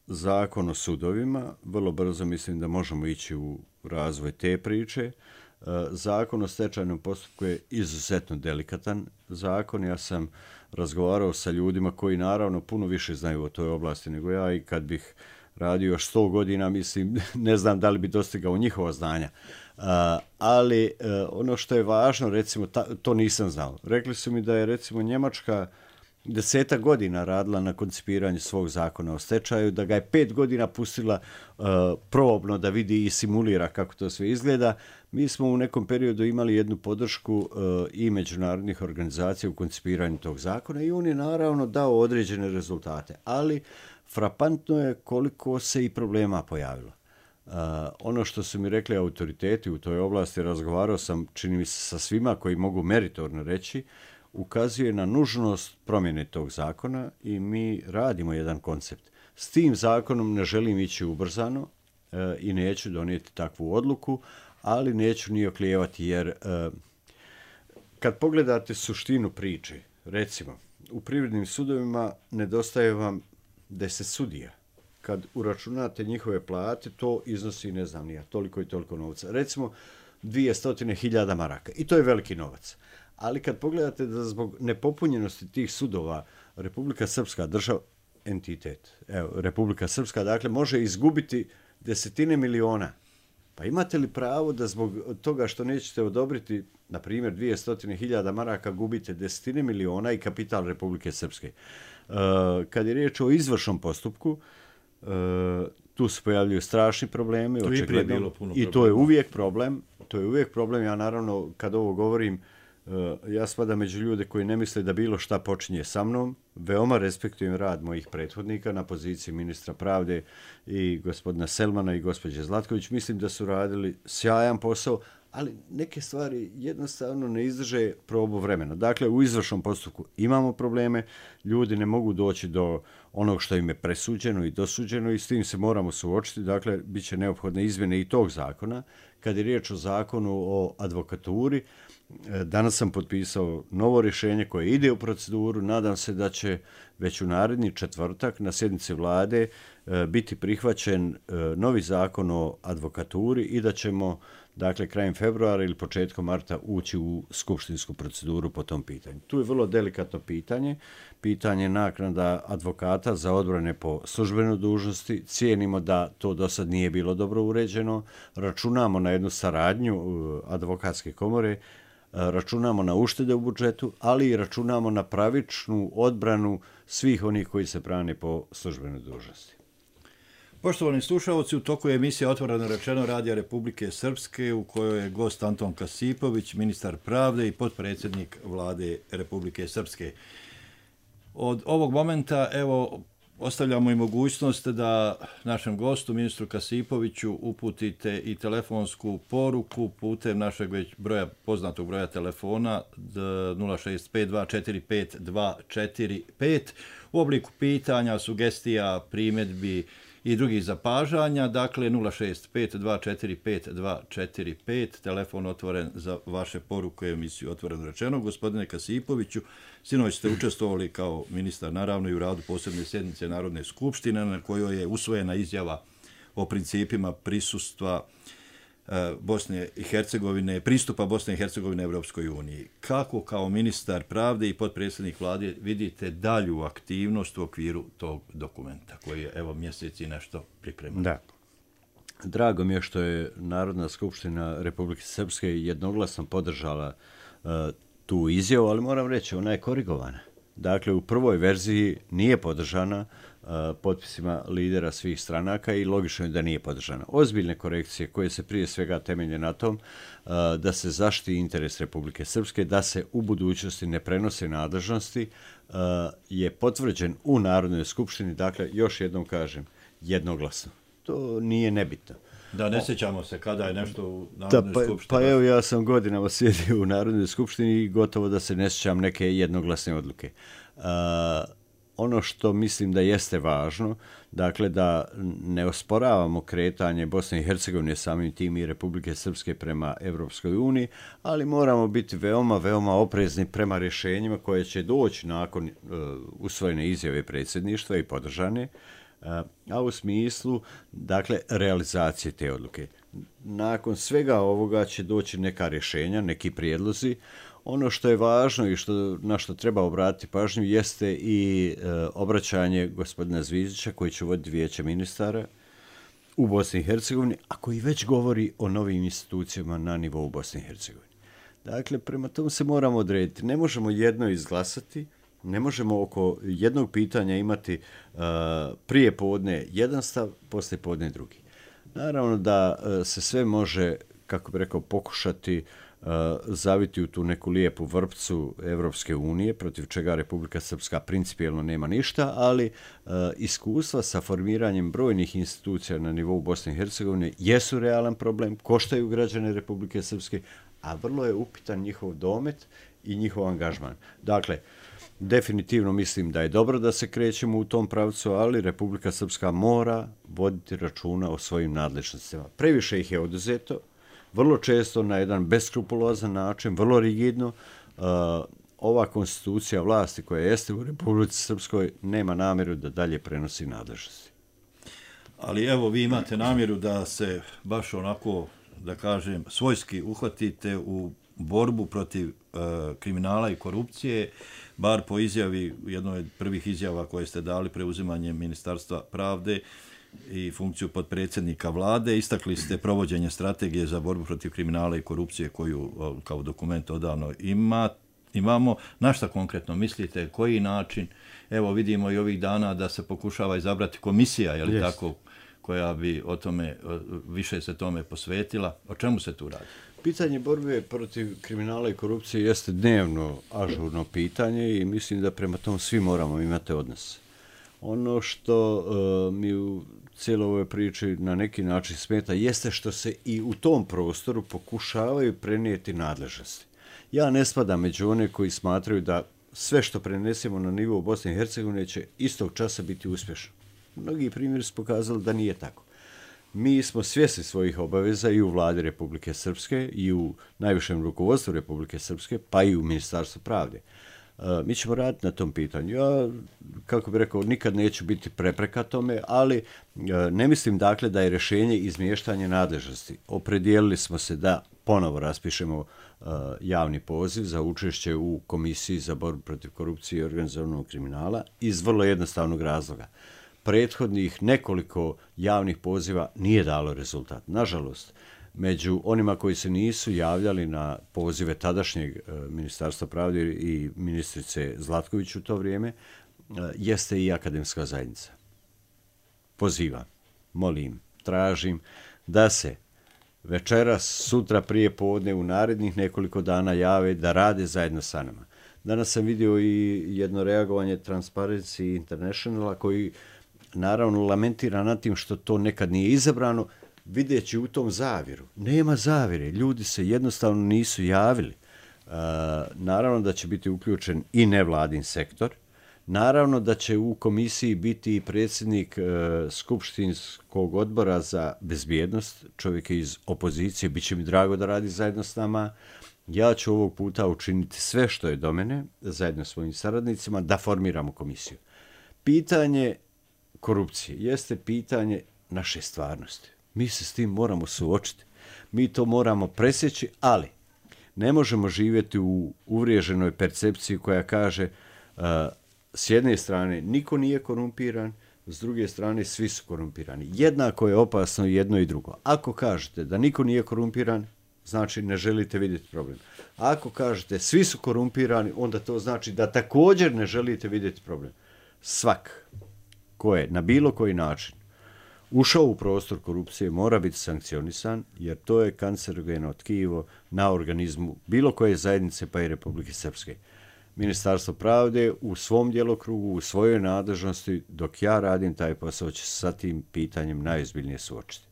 zakon o sudovima, vrlo brzo mislim da možemo ići u razvoj te priče. Zakon o stečajnom postupku je izuzetno delikatan zakon. Ja sam razgovarao sa ljudima koji naravno puno više znaju o toj oblasti nego ja i kad bih radio još sto godina, mislim, ne znam da li bi dostigao njihova znanja. Uh, ali uh, ono što je važno, recimo, ta, to nisam znao. Rekli su mi da je, recimo, Njemačka desetak godina radila na koncipiranju svog zakona o stečaju, da ga je pet godina pustila uh, probno da vidi i simulira kako to sve izgleda. Mi smo u nekom periodu imali jednu podršku uh, i međunarodnih organizacija u koncipiranju tog zakona i on je naravno dao određene rezultate, ali frapantno je koliko se i problema pojavilo. Uh, ono što su mi rekli autoriteti u toj oblasti, razgovarao sam, čini mi se, sa svima koji mogu meritorno reći, ukazuje na nužnost promjene tog zakona i mi radimo jedan koncept. S tim zakonom ne želim ići ubrzano uh, i neću donijeti takvu odluku, ali neću ni oklijevati jer uh, kad pogledate suštinu priče, recimo, u privrednim sudovima nedostaje vam deset sudija. Kad uračunate njihove plate, to iznosi, ne znam nija, toliko i toliko novca. Recimo, dvjesto hiljada maraka. I to je veliki novac. Ali kad pogledate da zbog nepopunjenosti tih sudova Republika Srpska, država, entitet, evo, Republika Srpska, dakle, može izgubiti desetine miliona. Pa imate li pravo da zbog toga što nećete odobriti, na primjer, dvjesto hiljada maraka, gubite desetine miliona i kapital Republike Srpske? Uh, kad je riječ o izvršnom postupku, uh, tu se pojavljuju strašni problemi, očigledno, i to je uvijek problem. To je uvijek problem. Ja naravno, kad ovo govorim, uh, ja spadam među ljude koji ne misle da bilo šta počinje sa mnom. Veoma respektujem rad mojih prethodnika na poziciji ministra pravde i gospodina Selmana i gospođe Zlatković. Mislim da su radili sjajan posao, ali neke stvari jednostavno ne izdrže probu vremena. Dakle, u izvršnom postupku imamo probleme, ljudi ne mogu doći do onog što im je presuđeno i dosuđeno i s tim se moramo suočiti. Dakle, bit će neophodne izmjene i tog zakona. Kad je riječ o zakonu o advokaturi, danas sam potpisao novo rješenje koje ide u proceduru. Nadam se da će već u naredni četvrtak na sjednici vlade biti prihvaćen novi zakon o advokaturi i da ćemo, dakle, krajem februara ili početkom marta ući u skupštinsku proceduru po tom pitanju. Tu je vrlo delikatno pitanje, pitanje naknada advokata za odbrane po službenoj dužnosti. Cijenimo da to do sad nije bilo dobro uređeno. Računamo na jednu saradnju advokatske komore, računamo na uštede u budžetu, ali i računamo na pravičnu odbranu svih onih koji se brane po službenoj dužnosti. Poštovani slušalci, u toku je emisija Otvoreno rečeno Radija Republike Srpske u kojoj je gost Anton Kasipović, ministar pravde i potpredsjednik vlade Republike Srpske. Od ovog momenta, evo, ostavljamo i mogućnost da našem gostu, ministru Kasipoviću, uputite i telefonsku poruku putem našeg već broja, poznatog broja telefona nula šest pet dva četiri pet dva četiri pet u obliku pitanja, sugestija, primjedbi i drugih zapažanja. Dakle, nula šest pet dva četiri pet dva četiri pet, telefon otvoren za vaše poruke u emisiju Otvoreno rečeno. Gospodine Kasipoviću, sinoć ste učestvovali kao ministar, naravno, i u radu posebne sjednice Narodne skupštine na kojoj je usvojena izjava o principima prisustva Bosne i Hercegovine, pristupa Bosne i Hercegovine Evropskoj uniji. Kako kao ministar pravde i potpredsjednik vlade vidite dalju aktivnost u okviru tog dokumenta koji je, evo, mjeseci nešto pripremljen? Da. Drago mi je što je Narodna skupština Republike Srpske jednoglasno podržala uh, tu izjavu, ali moram reći, ona je korigovana. Dakle, u prvoj verziji nije podržana uh, potpisima lidera svih stranaka i logično je da nije podržana. Ozbiljne korekcije koje se prije svega temelje na tom uh, da se zaštiti interes Republike Srpske, da se u budućnosti ne prenose nadležnosti, uh, je potvrđen u Narodnoj skupštini. Dakle, još jednom kažem, jednoglasno. To nije nebitno. Da, ne sjećamo se kada je nešto u Narodnoj pa, skupštini. Pa evo, ja sam godinama sjedio u Narodnoj skupštini i gotovo da se ne sjećam neke jednoglasne odluke. Uh, ono što mislim da jeste važno, dakle, da ne osporavamo kretanje Bosne i Hercegovine, samim tim i Republike Srpske prema Evropskoj uniji, ali moramo biti veoma, veoma oprezni prema rješenjima koje će doći nakon uh, usvojene izjave predsjedništva i podržane, a u smislu, dakle, realizacije te odluke. nakon svega ovoga će doći neka rješenja, neki prijedlozi. Ono što je važno i što, na što treba obratiti pažnju jeste i e, obraćanje gospodina Zvizdića koji će voditi vijeće ministara u Bosni i Hercegovini, a koji već govori o novim institucijama na nivou Bosne i Hercegovine. Dakle, prema tomu se moramo odrediti. Ne možemo jedno izglasati, ne možemo oko jednog pitanja imati uh, prije podne jedan stav, poslije podne drugi. Naravno da uh, se sve može, kako bi rekao, pokušati uh, zaviti u tu neku lijepu vrpcu Evropske unije, protiv čega Republika Srpska principijelno nema ništa, ali uh, iskustva sa formiranjem brojnih institucija na nivou Bosne i Hercegovine jesu realan problem, koštaju građane Republike Srpske, a vrlo je upitan njihov domet i njihov angažman. Dakle, definitivno mislim da je dobro da se krećemo u tom pravcu, ali Republika Srpska mora voditi računa o svojim nadležnostima. Previše ih je oduzeto, vrlo često na jedan beskrupulozan način, vrlo rigidno. Uh, ova konstitucija vlasti koja jeste u Republici Srpskoj nema namjeru da dalje prenosi nadležnosti. Ali evo, vi imate namjeru da se baš onako, da kažem, svojski uhvatite u borbu protiv uh, kriminala i korupcije, bar po izjavi, jednoj od prvih izjava koje ste dali preuzimanjem Ministarstva pravde i funkciju podpredsjednika vlade, istakli ste provođenje strategije za borbu protiv kriminala i korupcije koju uh, kao dokument odavno ima, imamo. Na šta konkretno mislite, koji način? Evo, vidimo i ovih dana da se pokušava izabrati komisija, je li yes. tako, koja bi o tome, više se tome posvetila. O čemu se tu radi? Pitanje borbe protiv kriminala i korupcije jeste dnevno ažurno pitanje i mislim da prema tom svi moramo imati odnos. Ono što uh, mi u cijeloj ovoj priči na neki način smeta jeste što se i u tom prostoru pokušavaju prenijeti nadležnosti. Ja ne spadam među one koji smatraju da sve što prenesemo na nivou Bosne i Hercegovine će istog časa biti uspješno. Mnogi primjeri su pokazali da nije tako. Mi smo svjesni svojih obaveza i u vladi Republike Srpske i u najvišem rukovodstvu Republike Srpske, pa i u Ministarstvu pravde. Uh, mi ćemo raditi na tom pitanju. Ja, kako bih rekao, nikad neću biti prepreka tome, ali uh, ne mislim dakle da je rješenje izmještanje nadležnosti. Opredijelili smo se da ponovo raspišemo uh, javni poziv za učešće u Komisiji za borbu protiv korupcije i organizovanog kriminala iz vrlo jednostavnog razloga. Prethodnih nekoliko javnih poziva nije dalo rezultat. Nažalost, među onima koji se nisu javljali na pozive tadašnjeg e, Ministarstva pravde i ministrice Zlatković u to vrijeme, e, jeste i akademska zajednica. Pozivam, molim, tražim da se večeras, sutra prije podne, u narednih nekoliko dana jave da rade zajedno sa nama. Danas sam vidio i jedno reagovanje Transparency Internationala koji naravno lamentira nad tim što to nekad nije izabrano, videći u tom zavjeru. Nema zavjere, ljudi se jednostavno nisu javili. E, naravno da će biti uključen i nevladin sektor, naravno da će u komisiji biti i predsjednik e, Skupštinskog odbora za bezbjednost, čovjek iz opozicije, bit će mi drago da radi zajedno s nama. Ja ću ovog puta učiniti sve što je do mene, zajedno s svojim saradnicima, da formiramo komisiju. Pitanje korupcije jeste pitanje naše stvarnosti. Mi se s tim moramo suočiti. Mi to moramo presjeći, ali ne možemo živjeti u uvriježenoj percepciji koja kaže uh, s jedne strane niko nije korumpiran, s druge strane svi su korumpirani. Jednako je opasno jedno i drugo. Ako kažete da niko nije korumpiran, znači ne želite vidjeti problem. Ako kažete svi su korumpirani, onda to znači da također ne želite vidjeti problem. Svak ko je na bilo koji način ušao u prostor korupcije mora biti sankcionisan, jer to je kancerogeno tkivo na organizmu bilo koje zajednice, pa i Republike Srpske. Ministarstvo pravde u svom djelokrugu, u svojoj nadležnosti, dok ja radim taj posao, će sa tim pitanjem najozbiljnije suočiti.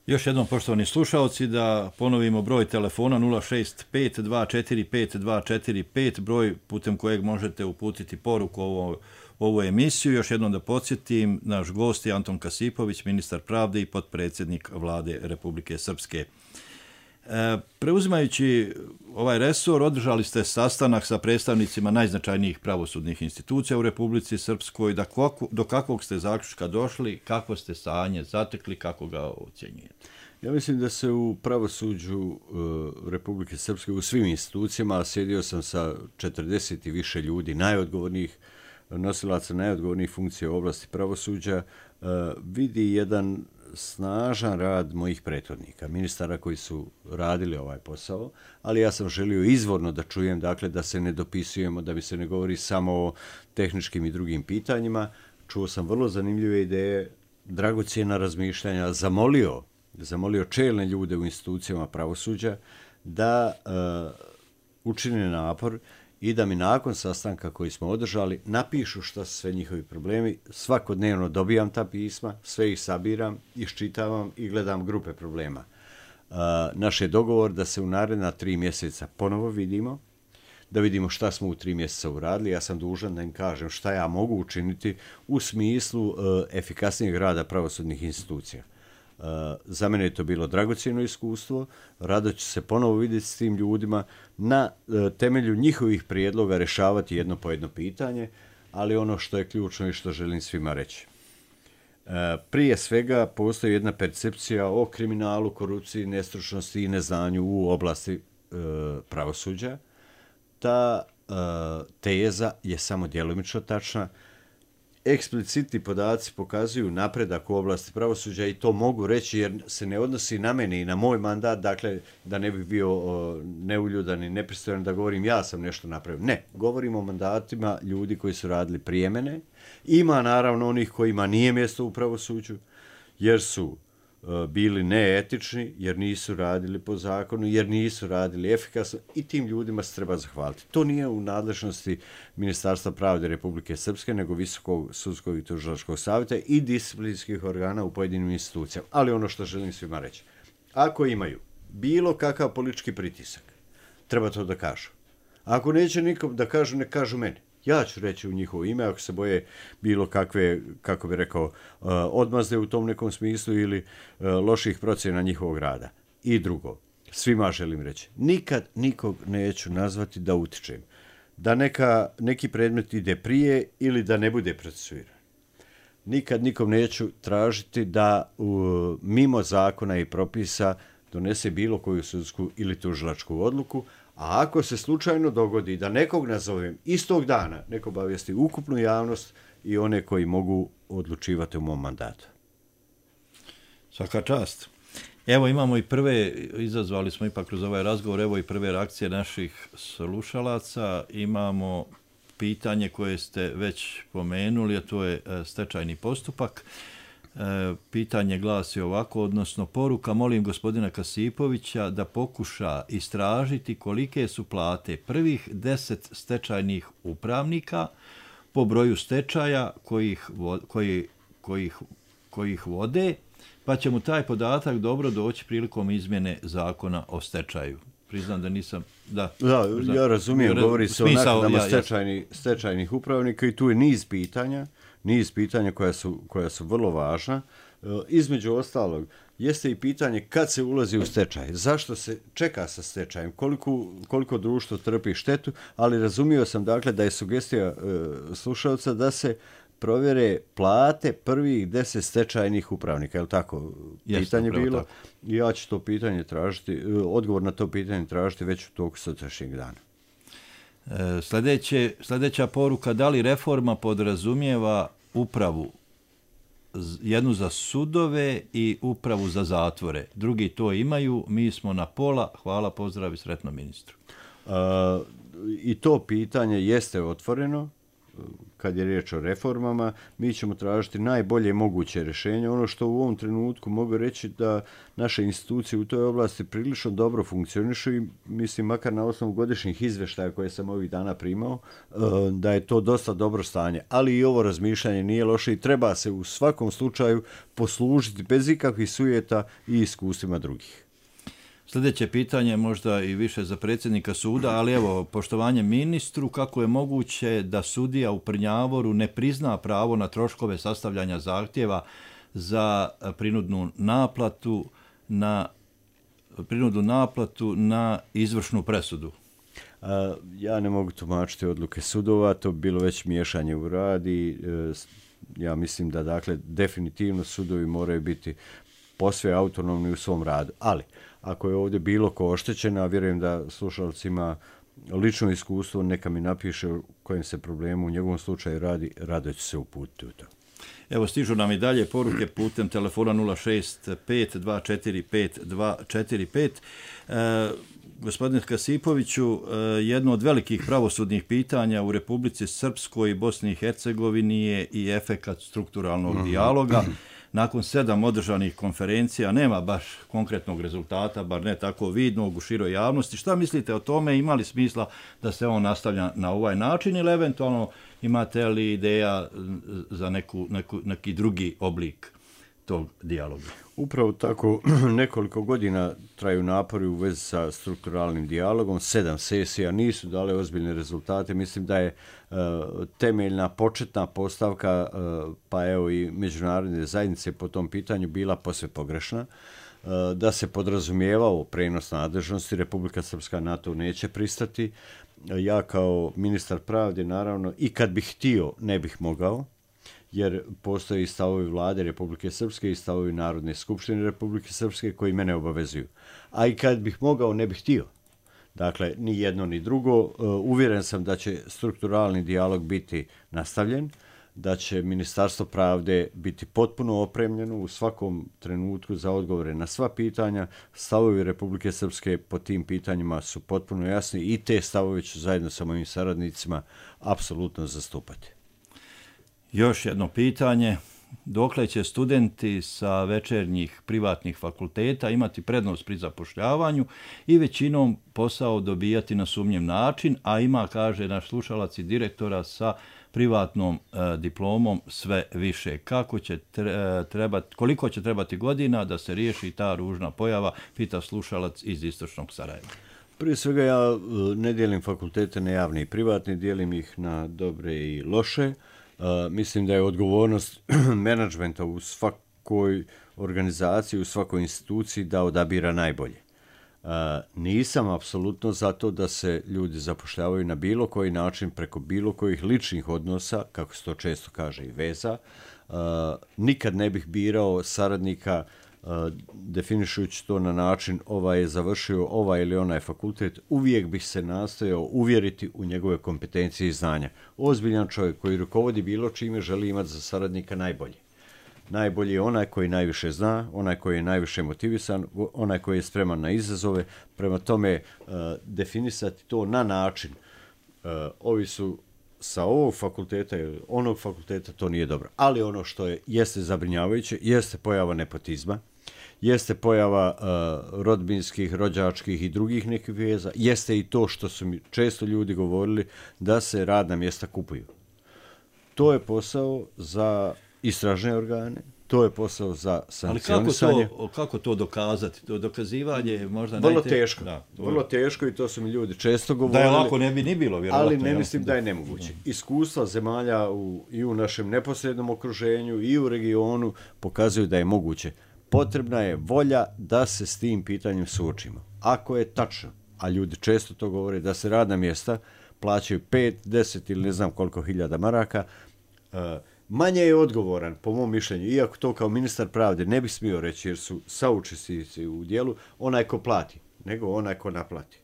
Još jednom, poštovani slušalci, da ponovimo broj telefona nula šest pet dva četiri pet dva četiri pet, broj putem kojeg možete uputiti poruku ovo, ovu emisiju. Još jednom da podsjetim, naš gost je Anton Kasipović, ministar pravde i potpredsjednik vlade Republike Srpske. Preuzimajući ovaj resor, održali ste sastanak sa predstavnicima najznačajnijih pravosudnih institucija u Republici Srpskoj. Da kako, do kakvog ste zaključka došli, kakvo ste stanje zatekli, kako ga ocjenjujete? Ja mislim da se u pravosuđu uh, Republike Srpske, u svim institucijama, sjedio sam sa četrdeset i više ljudi, najodgovornijih nosilaca, najodgovornijih funkcija u oblasti pravosuđa, uh, vidi jedan snažan rad mojih prethodnika, ministara koji su radili ovaj posao, ali ja sam želio izvorno da čujem, dakle, da se ne dopisujemo, da bi se ne govori samo o tehničkim i drugim pitanjima. Čuo sam vrlo zanimljive ideje, dragocjena razmišljanja, zamolio, zamolio čelne ljude u institucijama pravosuđa da uh, učine napor i da mi nakon sastanka koji smo održali napišu šta su sve njihovi problemi. Svakodnevno dobijam ta pisma, sve ih sabiram, iščitavam i gledam grupe problema. Uh, naš je dogovor da se u naredna tri mjeseca ponovo vidimo, da vidimo šta smo u tri mjeseca uradili. Ja sam dužan da im kažem šta ja mogu učiniti u smislu uh, efikasnijeg rada pravosudnih institucija. Uh, za mene je to bilo dragocjeno iskustvo, rado ću se ponovo vidjeti s tim ljudima, na uh, temelju njihovih prijedloga rješavati jedno po jedno pitanje, ali ono što je ključno i što želim svima reći. Uh, prije svega postoji jedna percepcija o kriminalu, korupciji, nestručnosti i neznanju u oblasti uh, pravosuđa. Ta uh, teza je samo djelomično tačna. Eksplicitni podaci pokazuju napredak u oblasti pravosuđa i to mogu reći jer se ne odnosi na mene i na moj mandat, dakle da ne bi bio o, neuljudan i nepristojan da govorim ja sam nešto napravio. Ne, govorimo o mandatima ljudi koji su radili prije mene. Ima naravno onih kojima nije mjesto u pravosuđu jer su bili neetični, jer nisu radili po zakonu, jer nisu radili efikasno i tim ljudima se treba zahvaliti. To nije u nadležnosti Ministarstva pravde Republike Srpske, nego Visokog sudskog i tužilačkog savjeta i disciplinskih organa u pojedinim institucijama. Ali ono što želim svima reći, ako imaju bilo kakav politički pritisak, treba to da kažu. Ako neće nikom da kažu, ne kažu meni. Ja ću reći u njihovo ime, ako se boje bilo kakve, kako bi rekao, odmazde u tom nekom smislu ili loših procjena njihovog rada. I drugo, svima želim reći, nikad nikog neću nazvati da utičem. Da neka, neki predmet ide prije ili da ne bude procesuiran. Nikad nikom neću tražiti da u, mimo zakona i propisa donese bilo koju sudsku ili tužilačku odluku, a ako se slučajno dogodi da nekog nazovem istog dana, neko obavijesti ukupnu javnost i one koji mogu odlučivati u mom mandatu. Svaka čast. Evo imamo i prve, izazvali smo ipak kroz ovaj razgovor, evo i prve reakcije naših slušalaca. Imamo pitanje koje ste već pomenuli, a to je stečajni postupak. E, pitanje glasi ovako, odnosno poruka, molim gospodina Kasipovića da pokuša istražiti kolike su plate prvih deset stečajnih upravnika po broju stečaja kojih, koji, kojih, kojih vode, pa će mu taj podatak dobro doći prilikom izmjene zakona o stečaju. Priznam da nisam... Da, da ja razumijem, re, govori se o naknadama ja, stečajni, stečajnih upravnika i tu je niz pitanja, niz pitanja koja su, koja su vrlo važna. E, između ostalog, jeste i pitanje kad se ulazi u stečaj, zašto se čeka sa stečajem, koliko, koliko društvo trpi štetu, ali razumio sam dakle da je sugestija e, slušalca da se provjere plate prvih deset stečajnih upravnika, je li tako? Jeste, pitanje bilo. Tako. Ja ću to pitanje tražiti, odgovor na to pitanje tražiti već u toku sutrašnjeg dana. E, sljedeće, sljedeća poruka, da li reforma podrazumijeva upravu jednu za sudove i upravu za zatvore? Drugi to imaju, mi smo na pola, hvala, pozdrav i sretno ministru. E, I to pitanje jeste otvoreno. Kad je riječ o reformama, mi ćemo tražiti najbolje moguće rješenje. Ono što u ovom trenutku mogu reći da naše institucije u toj oblasti prilično dobro funkcionišu i mislim makar na osnovu godišnjih izvještaja koje sam ovih dana primao, da je to dosta dobro stanje. Ali i ovo razmišljanje nije loše i treba se u svakom slučaju poslužiti bez ikakvih sujeta i iskustvima drugih. Sljedeće pitanje možda i više za predsjednika suda, ali evo, poštovanje ministru, kako je moguće da sudija u Prnjavoru ne prizna pravo na troškove sastavljanja zahtjeva za prinudnu naplatu na e, prinudu naplatu na izvršnu presudu? A, ja ne mogu tumačiti odluke sudova, to bi bilo već miješanje u rad i e, ja mislim da dakle definitivno sudovi moraju biti posve autonomni u svom radu. Ali, ako je ovdje bilo ko oštećen, a vjerujem da slušalac ima lično iskustvo, neka mi napiše u kojem se problemu u njegovom slučaju radi, rado ću se uputiti u to. Evo, stižu nam i dalje poruke putem telefona nula šest pet dva četiri pet dva četiri pet. E, gospodine Kasipoviću, e, jedno od velikih pravosudnih pitanja u Republici Srpskoj i Bosni i Hercegovini je i efekat strukturalnog mm-hmm. dijaloga. Nakon sedam održanih konferencija nema baš konkretnog rezultata, bar ne tako vidnog u široj javnosti. Šta mislite o tome? Ima li smisla da se on nastavlja na ovaj način ili eventualno imate li ideja za neku, neku, neki drugi oblik tog dijaloga? Upravo tako nekoliko godina traju napori u vezi sa strukturalnim dijalogom. Sedam sesija nisu dale ozbiljne rezultate. Mislim da je uh, temeljna početna postavka uh, pa evo i međunarodne zajednice po tom pitanju bila posve pogrešna. Uh, da se podrazumijevao prenos nadležnosti, Republika Srpska na to neće pristati. Ja kao ministar pravde, naravno, i kad bih htio, ne bih mogao, jer postoji stavovi vlade Republike Srpske i stavovi Narodne skupštine Republike Srpske koji mene obavezuju. A i kad bih mogao, ne bih htio. Dakle, ni jedno ni drugo. Uvjeren sam da će strukturalni dijalog biti nastavljen, da će Ministarstvo pravde biti potpuno opremljeno u svakom trenutku za odgovore na sva pitanja. Stavovi Republike Srpske po tim pitanjima su potpuno jasni i te stavove ću zajedno sa mojim saradnicima apsolutno zastupati. Još jedno pitanje. Dokle će studenti sa večernjih privatnih fakulteta imati prednost pri zapošljavanju i većinom posao dobijati na sumnjiv način, a ima, kaže naš slušalac i direktora, sa privatnom e, diplomom sve više. Kako će trebati, koliko će trebati godina da se riješi ta ružna pojava, pita slušalac iz Istočnog Sarajeva. Prije svega ja ne dijelim fakultete na javne i privatne, dijelim ih na dobre i loše. Uh, mislim da je odgovornost menadžmenta u svakoj organizaciji, u svakoj instituciji da odabira najbolje. Uh, nisam apsolutno za to da se ljudi zapošljavaju na bilo koji način preko bilo kojih ličnih odnosa, kako se to često kaže i veza. Uh, nikad ne bih birao saradnika uh, definišujući to na način ovaj je završio ovaj ili onaj fakultet. Uvijek bih se nastojao uvjeriti u njegove kompetencije i znanja. Ozbiljan čovjek koji rukovodi bilo čime želi imati za saradnika najbolje. Najbolji je onaj koji najviše zna, onaj koji je najviše motivisan, onaj koji je spreman na izazove. Prema tome, uh, definisati to na način uh, ovi su sa ovog fakulteta ili onog fakulteta, to nije dobro. Ali ono što je, jeste zabrinjavajuće, jeste pojava nepotizma, jeste pojava uh, rodbinskih, rođačkih i drugih nekih veza, jeste i to što su mi često ljudi govorili da se radna mjesta kupuju. To je posao za istražne organe, to je posao za sankcionisanje. Ali kako to, kako to dokazati? To dokazivanje je možda vrlo najte... teško. Da, vrlo teško i to su mi ljudi često govorili. Da je lako ne bi ni bilo, vjerovatno. Ali ne mislim da je nemoguće. Iskustva zemalja u, i u našem neposrednom okruženju i u regionu pokazuju da je moguće. Potrebna je volja da se s tim pitanjem suočimo. Ako je tačno, a ljudi često to govore, da se radna mjesta plaćaju pet, deset ili ne znam koliko hiljada maraka, uh, manje je odgovoran, po mom mišljenju, iako to kao ministar pravde ne bih smio reći jer su saučesnici u dijelu, onaj ko plati, nego onaj ko naplati.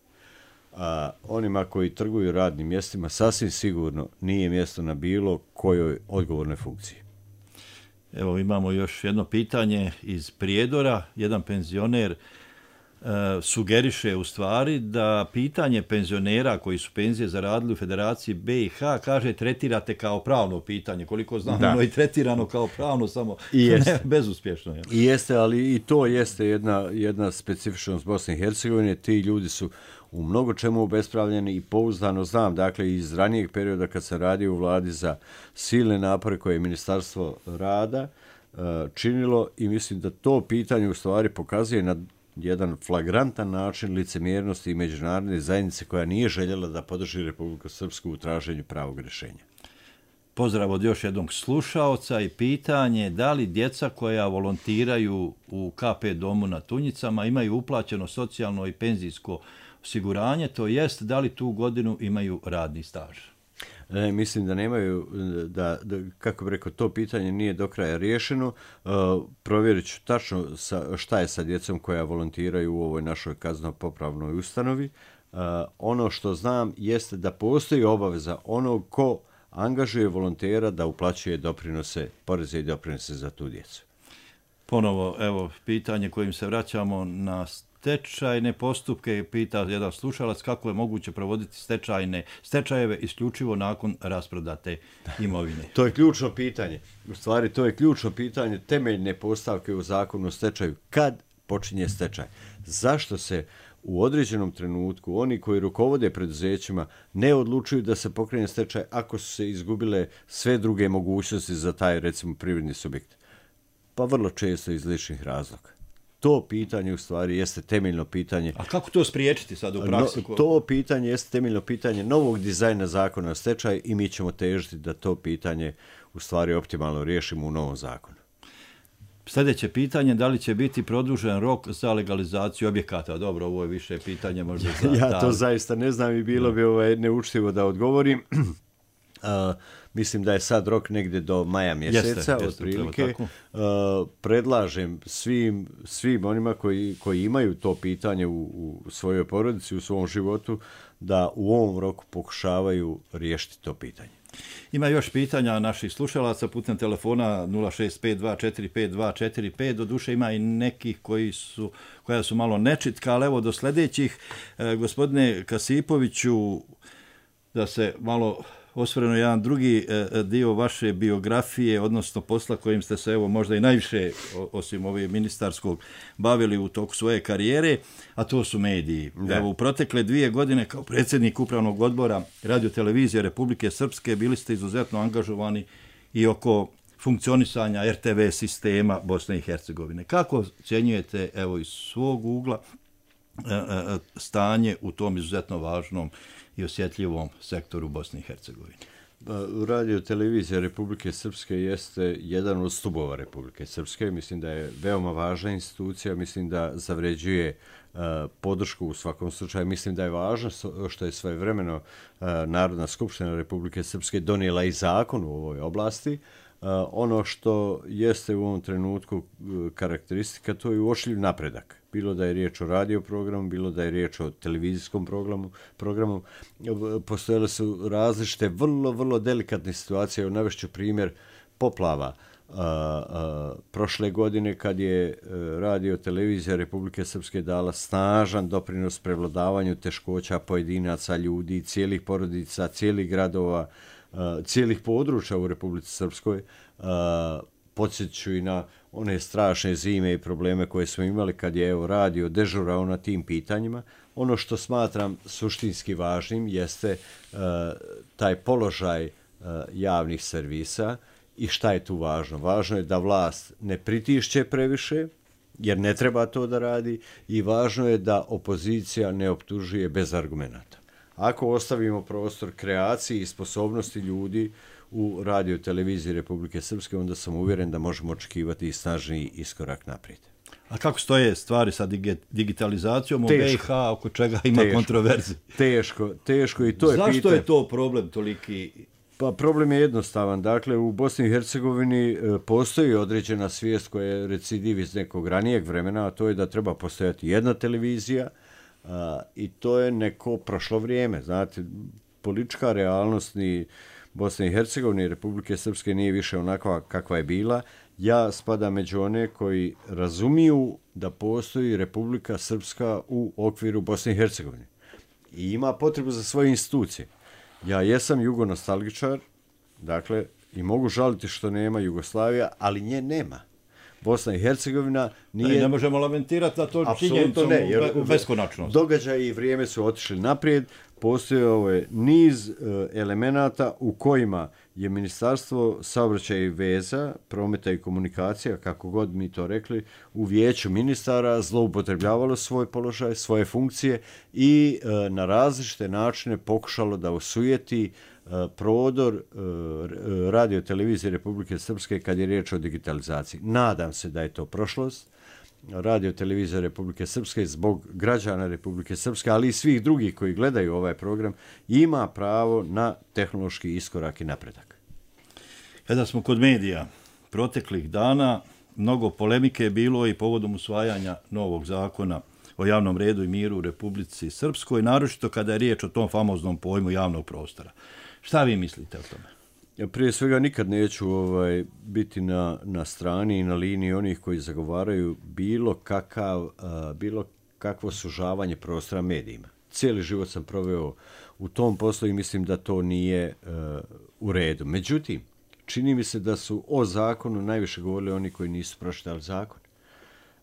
A onima koji trguju radnim mjestima sasvim sigurno nije mjesto na bilo kojoj odgovornoj funkciji. Evo imamo još jedno pitanje iz Prijedora. Jedan penzioner uh, sugeriše u stvari da pitanje penzionera koji su penzije zaradili u Federaciji B i H, kaže, tretirate kao pravno pitanje. Koliko znam, ono je tretirano kao pravno, samo ne, bezuspješno. Je. I jeste, ali i to jeste jedna, jedna specifičnost Bosne i Hercegovine. Ti ljudi su u mnogo čemu obespravljeni i pouzdano znam, dakle, iz ranijeg perioda kad sam radio u vladi za silne napore koje je Ministarstvo rada uh, činilo i mislim da to pitanje u stvari pokazuje na jedan flagrantan način licemjernosti i međunarodne zajednice koja nije željela da podrži Republiku Srpsku u traženju pravog rješenja. pozdrav od još jednog slušaoca i pitanje da li djeca koja volontiraju u K P domu na Tunjicama imaju uplaćeno socijalno i penzijsko osiguranje, to jest da li tu godinu imaju radni staž? Ne, mislim da nemaju, da, da, kako bi rekao, to pitanje nije do kraja riješeno. Uh, provjerit ću tačno sa, šta je sa djecom koja volontiraju u ovoj našoj kazneno-popravnoj ustanovi. Uh, ono što znam jeste da postoji obaveza onog ko angažuje volontera da uplaćuje doprinose, poreze i doprinose za tu djecu. Ponovo, evo, pitanje kojim se vraćamo na stečajne postupke, pita jedan slušalac kako je moguće provoditi stečajne stečajeve isključivo nakon rasprodate imovine. To je ključno pitanje. U stvari, to je ključno pitanje temeljne postavke u zakonu o stečaju. Kad počinje stečaj? Zašto se u određenom trenutku oni koji rukovode preduzećima ne odlučuju da se pokrene stečaj ako su se izgubile sve druge mogućnosti za taj, recimo, privredni subjekt? Pa vrlo često iz ličnih razloga. To pitanje u stvari jeste temeljno pitanje. A kako to spriječiti sad u praksi? No, to pitanje jeste temeljno pitanje novog dizajna zakona o stečaju i mi ćemo težiti da to pitanje u stvari optimalno riješimo u novom zakonu. Sljedeće pitanje, da li će biti produžen rok za legalizaciju objekata? Dobro, ovo je više pitanje možda za... Ja to zaista ne znam i bilo bi ovaj neučtivo da odgovorim. Uh, mislim da je sad rok negdje do maja mjeseca, jeste, jeste, otprilike. Uh, predlažem svim, svim onima koji, koji imaju to pitanje u, u svojoj porodici, u svom životu, da u ovom roku pokušavaju riješiti to pitanje. Ima još pitanja naših slušalaca putem telefona nula šest pet dva četiri pet dva četiri pet. Doduše ima i nekih koji su, koja su malo nečitka, ali evo do sljedećih. E, gospodine Kasipoviću, da se malo osvrnuo jedan drugi e, dio vaše biografije, odnosno posla kojim ste se evo možda i najviše, osim ove ministarskog, bavili u toku svoje karijere, a to su mediji. Da. Evo, u protekle dvije godine kao predsjednik upravnog odbora Radio-televizije Republike Srpske bili ste izuzetno angažovani i oko funkcionisanja R T V sistema Bosne i Hercegovine. Kako ocjenjujete evo iz svog ugla e, e, stanje u tom izuzetno važnom i osjetljivom sektoru Bosne i Hercegovine? Radio-televizija Republike Srpske jeste jedan od stubova Republike Srpske. Mislim da je veoma važna institucija, mislim da zavređuje uh, podršku u svakom slučaju. Mislim da je važno što je svojevremeno uh, Narodna skupština Republike Srpske donijela i zakon u ovoj oblasti. Uh, ono što jeste u ovom trenutku uh, karakteristika, to je uočljiv napredak. Bilo da je riječ o radio programu, bilo da je riječ o televizijskom programu, programu. Postojale su različite, vrlo, vrlo delikatne situacije. Navešću primjer poplava. A, a, prošle godine kad je Radio-televizija Republike Srpske dala snažan doprinos prevladavanju teškoća pojedinaca, ljudi, cijelih porodica, cijelih gradova, a, cijelih područja u Republici Srpskoj, a, podsjeću i na one strašne zime i probleme koje smo imali kad je evo radio dežurao na tim pitanjima. Ono što smatram suštinski važnim jeste uh, taj položaj uh, javnih servisa i šta je tu važno. Važno je da vlast ne pritišće previše, jer ne treba to da radi, i važno je da opozicija ne optužuje bez argumenata. Ako ostavimo prostor kreaciji i sposobnosti ljudi u Radio-televiziji Republike Srpske, onda sam uvjeren da možemo očekivati i snažniji iskorak naprijed. A kako stoje stvari sa digitalizacijom u B i H, oko čega ima teško, kontroverzije? Teško, teško i to je Zašto pitanje. je to problem toliki? Pa problem je jednostavan. Dakle, u Bosni i Hercegovini postoji određena svijest koja je recidiv iz nekog ranijeg vremena, a to je da treba postojati jedna televizija, a, i to je neko prošlo vrijeme. Znate, politička realnost ni Bosne i Hercegovine i Republike Srpske nije više onakva kakva je bila. Ja spadam među one koji razumiju da postoji Republika Srpska u okviru Bosne i Hercegovine i ima potrebu za svoje institucije. Ja jesam jugonostalgičar, dakle, i mogu žaliti što nema Jugoslavija, ali nje nema. Bosna i Hercegovina nije... Ne, ne možemo lamentirati na to činjenicom u beskonačnost. Događaje i vrijeme su otišli naprijed. Postoje ovaj niz uh, elemenata u kojima je Ministarstvo saobraćaja i veza, prometa i komunikacija, kako god mi to rekli, u vijeću ministara zloupotrebljavalo svoj položaj, svoje funkcije i uh, na različite načine pokušalo da osujeti uh, prodor radio televizije Republike Srpske kad je riječ o digitalizaciji. Nadam se da je to prošlost. Radio televizija Republike Srpske zbog građana Republike Srpske, ali i svih drugih koji gledaju ovaj program, ima pravo na tehnološki iskorak i napredak. Kada smo kod medija, proteklih dana mnogo polemike je bilo i povodom usvajanja novog zakona o javnom redu i miru u Republici Srpskoj, naročito kada je riječ o tom famoznom pojmu javnog prostora. Šta vi mislite o tome? Ja prije svega nikad neću ovaj, biti na, na strani i na liniji onih koji zagovaraju bilo, kakav, uh, bilo kakvo sužavanje prostora medijima. Cijeli život sam proveo u tom poslu i mislim da to nije uh, u redu. Međutim, čini mi se da su o zakonu najviše govorili oni koji nisu pročitali zakon.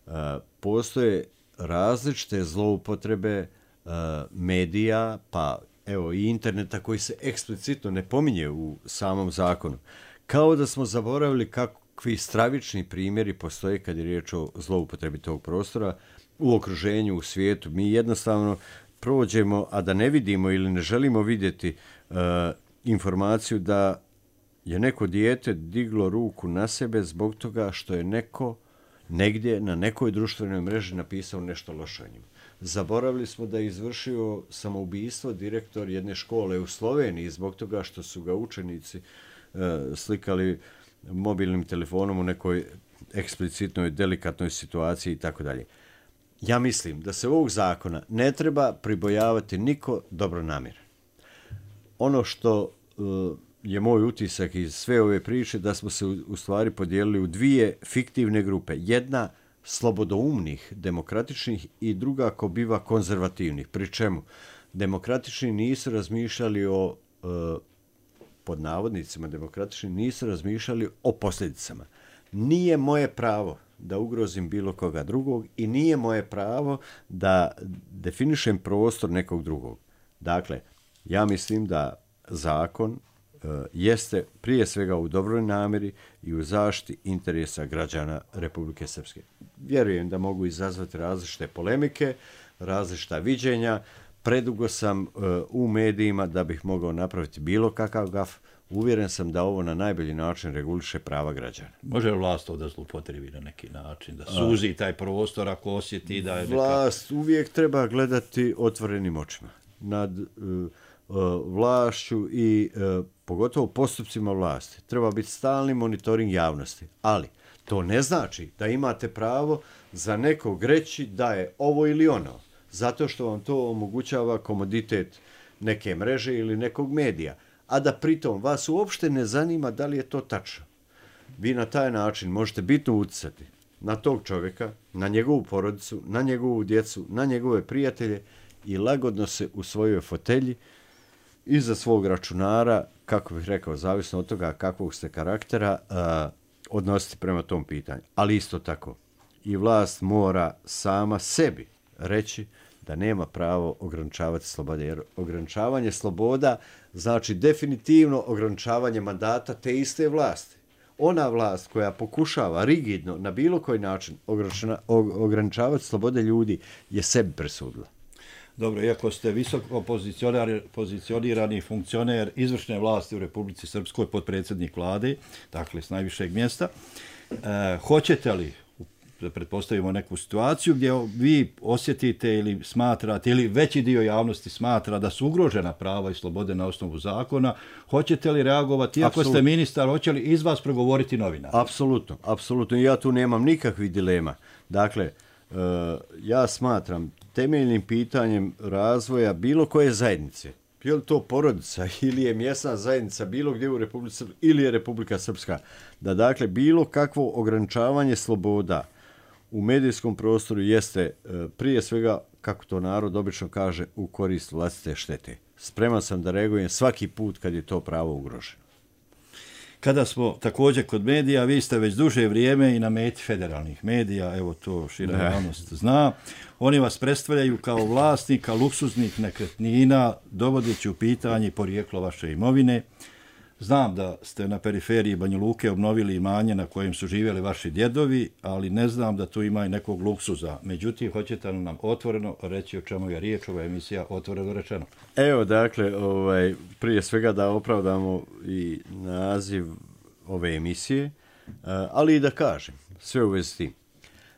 Uh, postoje različite zloupotrebe uh, medija, pa evo i interneta koji se eksplicitno ne pominje u samom zakonu. Kao da smo zaboravili kakvi stravični primjeri postoje kad je riječ o zloupotrebi tog prostora u okruženju, u svijetu. Mi jednostavno prođemo, a da ne vidimo ili ne želimo vidjeti uh, informaciju da je neko dijete diglo ruku na sebe zbog toga što je neko negdje na nekoj društvenoj mreži napisao nešto loše o njima. Zaboravili smo da je izvršio samoubistvo direktor jedne škole u Sloveniji zbog toga što su ga učenici uh, slikali mobilnim telefonom u nekoj eksplicitnoj, delikatnoj situaciji i tako dalje. Ja mislim da se ovog zakona ne treba pribojavati niko dobronamjeran. Ono što uh, je moj utisak iz sve ove priče da smo se u, u stvari podijelili u dvije fiktivne grupe. Jedna slobodoumnih, demokratičnih i druga ko biva konzervativnih. Pri čemu demokratični nisu razmišljali o, e, pod navodnicima demokratični, nisu razmišljali o posljedicama. Nije moje pravo da ugrozim bilo koga drugog i nije moje pravo da definišem prostor nekog drugog. Dakle, ja mislim da zakon jeste prije svega u dobroj namjeri i u zaštiti interesa građana Republike Srpske. Vjerujem da mogu izazvati različite polemike, različita viđenja. Predugo sam uh, u medijima da bih mogao napraviti bilo kakav gaf. Uvjeren sam da ovo na najbolji način reguliše prava građana. Može li vlast to da zlupotrebi na neki način, da suzi taj prostor ako osjeti da je neka... Vlast uvijek treba gledati otvorenim očima nad uh, uh, vlašću i uh, pogotovo postupcima vlasti. Treba biti stalni monitoring javnosti. Ali to ne znači da imate pravo za nekog reći da je ovo ili ono, zato što vam to omogućava komoditet neke mreže ili nekog medija, a da pritom vas uopšte ne zanima da li je to tačno. Vi na taj način možete bitno utjecati na tog čovjeka, na njegovu porodicu, na njegovu djecu, na njegove prijatelje i lagodno se u svojoj fotelji iza svog računara, kako bih rekao, zavisno od toga kakvog ste karaktera, uh, odnositi prema tom pitanju. Ali isto tako, i vlast mora sama sebi reći da nema pravo ograničavati slobode. Jer ograničavanje sloboda znači definitivno ograničavanje mandata te iste vlasti. Ona vlast koja pokušava rigidno na bilo koji način ograničavati slobode ljudi je sebi presudila. Dobro, iako ste visoko pozicionirani funkcioner izvršne vlasti u Republici Srpskoj, potpredsjednik vlade, dakle s najvišeg mjesta, e, hoćete li, da pretpostavimo neku situaciju gdje vi osjetite ili smatrate, ili veći dio javnosti smatra da su ugrožena prava i slobode na osnovu zakona, hoćete li reagovati, iako Absolut. ste ministar, hoće li iz vas progovoriti novinar? Apsolutno, apsolutno. Ja tu nemam nikakvih dilema. Dakle, uh, ja smatram temeljnim pitanjem razvoja bilo koje zajednice, je li to porodica ili je mjesna zajednica bilo gdje u Republici Srpskoj ili je Republika Srpska, da dakle bilo kakvo ograničavanje sloboda u medijskom prostoru jeste prije svega, kako to narod obično kaže, u korist vlastite štete. Spreman sam da reagujem svaki put kad je to pravo ugroženo. Kada smo također kod medija, vi ste već duže vrijeme i na meti federalnih medija, evo to šira javnost zna. Oni vas predstavljaju kao vlasnika luksuznih nekretnina, dovodeći u pitanje porijeklo vaše imovine. Znam da ste na periferiji Banja Luke obnovili imanje na kojem su živjeli vaši djedovi, ali ne znam da tu ima i nekog luksuza. Međutim, hoćete li nam otvoreno reći o čemu je riječ, ova emisija Otvoreno rečeno? Evo, dakle, ovaj, prije svega da opravdamo i naziv ove emisije, ali i da kažem sve u vezi s tim.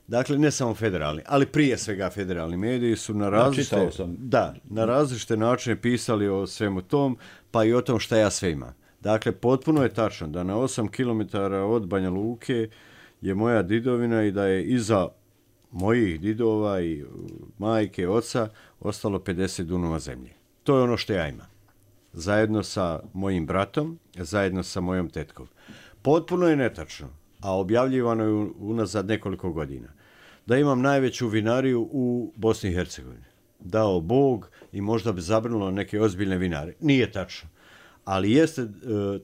Dakle, ne samo federalni, ali prije svega federalni mediji su na različite, ja, sam. Da, na različite načine pisali o svemu tom, pa i o tom šta ja sve imam. Dakle, potpuno je tačno da na osam kilometara od Banja Luke je moja didovina i da je iza mojih didova i majke, oca ostalo pedeset dunova zemlje. To je ono što ja imam. Zajedno sa mojim bratom, zajedno sa mojom tetkom. Potpuno je netačno, a objavljivano je unazad nekoliko godina, da imam najveću vinariju u Bosni i Hercegovini. Dao Bog i možda bi zabrnulo neke ozbiljne vinare. Nije tačno. Ali jeste uh,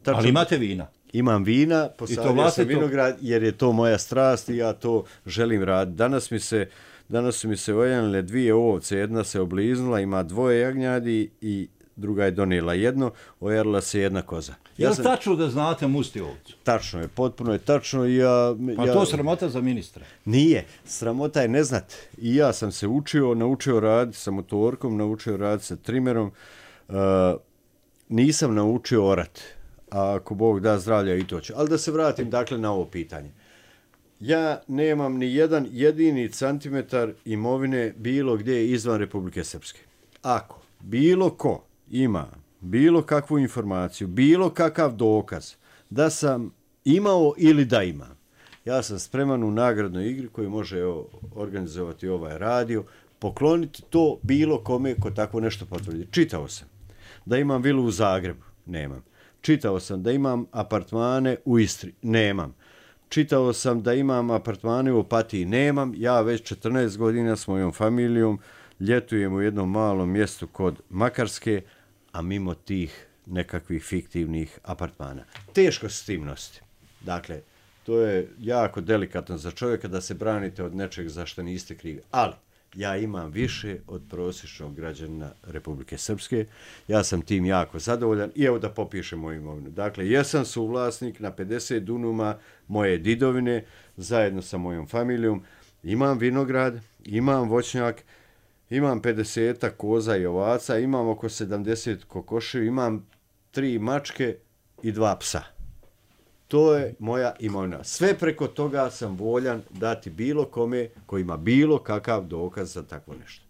tačno. Ali imate vina? Imam vina, posadio sam vinograd jer je to moja strast i ja to želim raditi. Danas mi se, danas su mi se ojanile dvije ovce, jedna se obliznula, ima dvoje jagnjadi i druga je donijela jedno, ojarila se jedna koza. Je li sam... tačno da znate musti ovcu? Tačno je, potpuno je tačno. Ja, pa ja... to sramota za ministra? Nije, sramota je ne znat. I ja sam se učio, naučio raditi sa motorkom, naučio raditi sa trimerom, uh, nisam naučio orat, a ako Bog da zdravlja i to će. Ali da se vratim dakle na ovo pitanje. Ja nemam ni jedan jedini centimetar imovine bilo gdje izvan Republike Srpske. Ako bilo ko ima bilo kakvu informaciju, bilo kakav dokaz da sam imao ili da imam, ja sam spreman u nagradnoj igri koju može evo, organizovati ovaj radio, pokloniti to bilo kome ko tako nešto potvrdi. Čitao sam da imam vilu u Zagrebu, nemam. Čitao sam da imam apartmane u Istri, nemam. Čitao sam da imam apartmane u Opatiji, nemam. Ja već četrnaest godina s mojom familijom ljetujem u jednom malom mjestu kod Makarske, a mimo tih nekakvih fiktivnih apartmana. Teško se s tim nositi. Dakle, to je jako delikatno za čovjeka da se branite od nečeg za što niste krivi. Ali, ja imam više od prosječnog građana Republike Srpske. Ja sam tim jako zadovoljan i evo da popišem moju imovinu. Dakle, jesam suvlasnik na pedeset dunuma moje didovine zajedno sa mojom familijom. Imam vinograd, imam voćnjak, imam pedeset koza i ovaca, imam oko sedamdeset kokoši, imam tri mačke i dva psa. To je moja imovina. Sve preko toga sam voljan dati bilo kome koji ima bilo kakav dokaz za takvo nešto.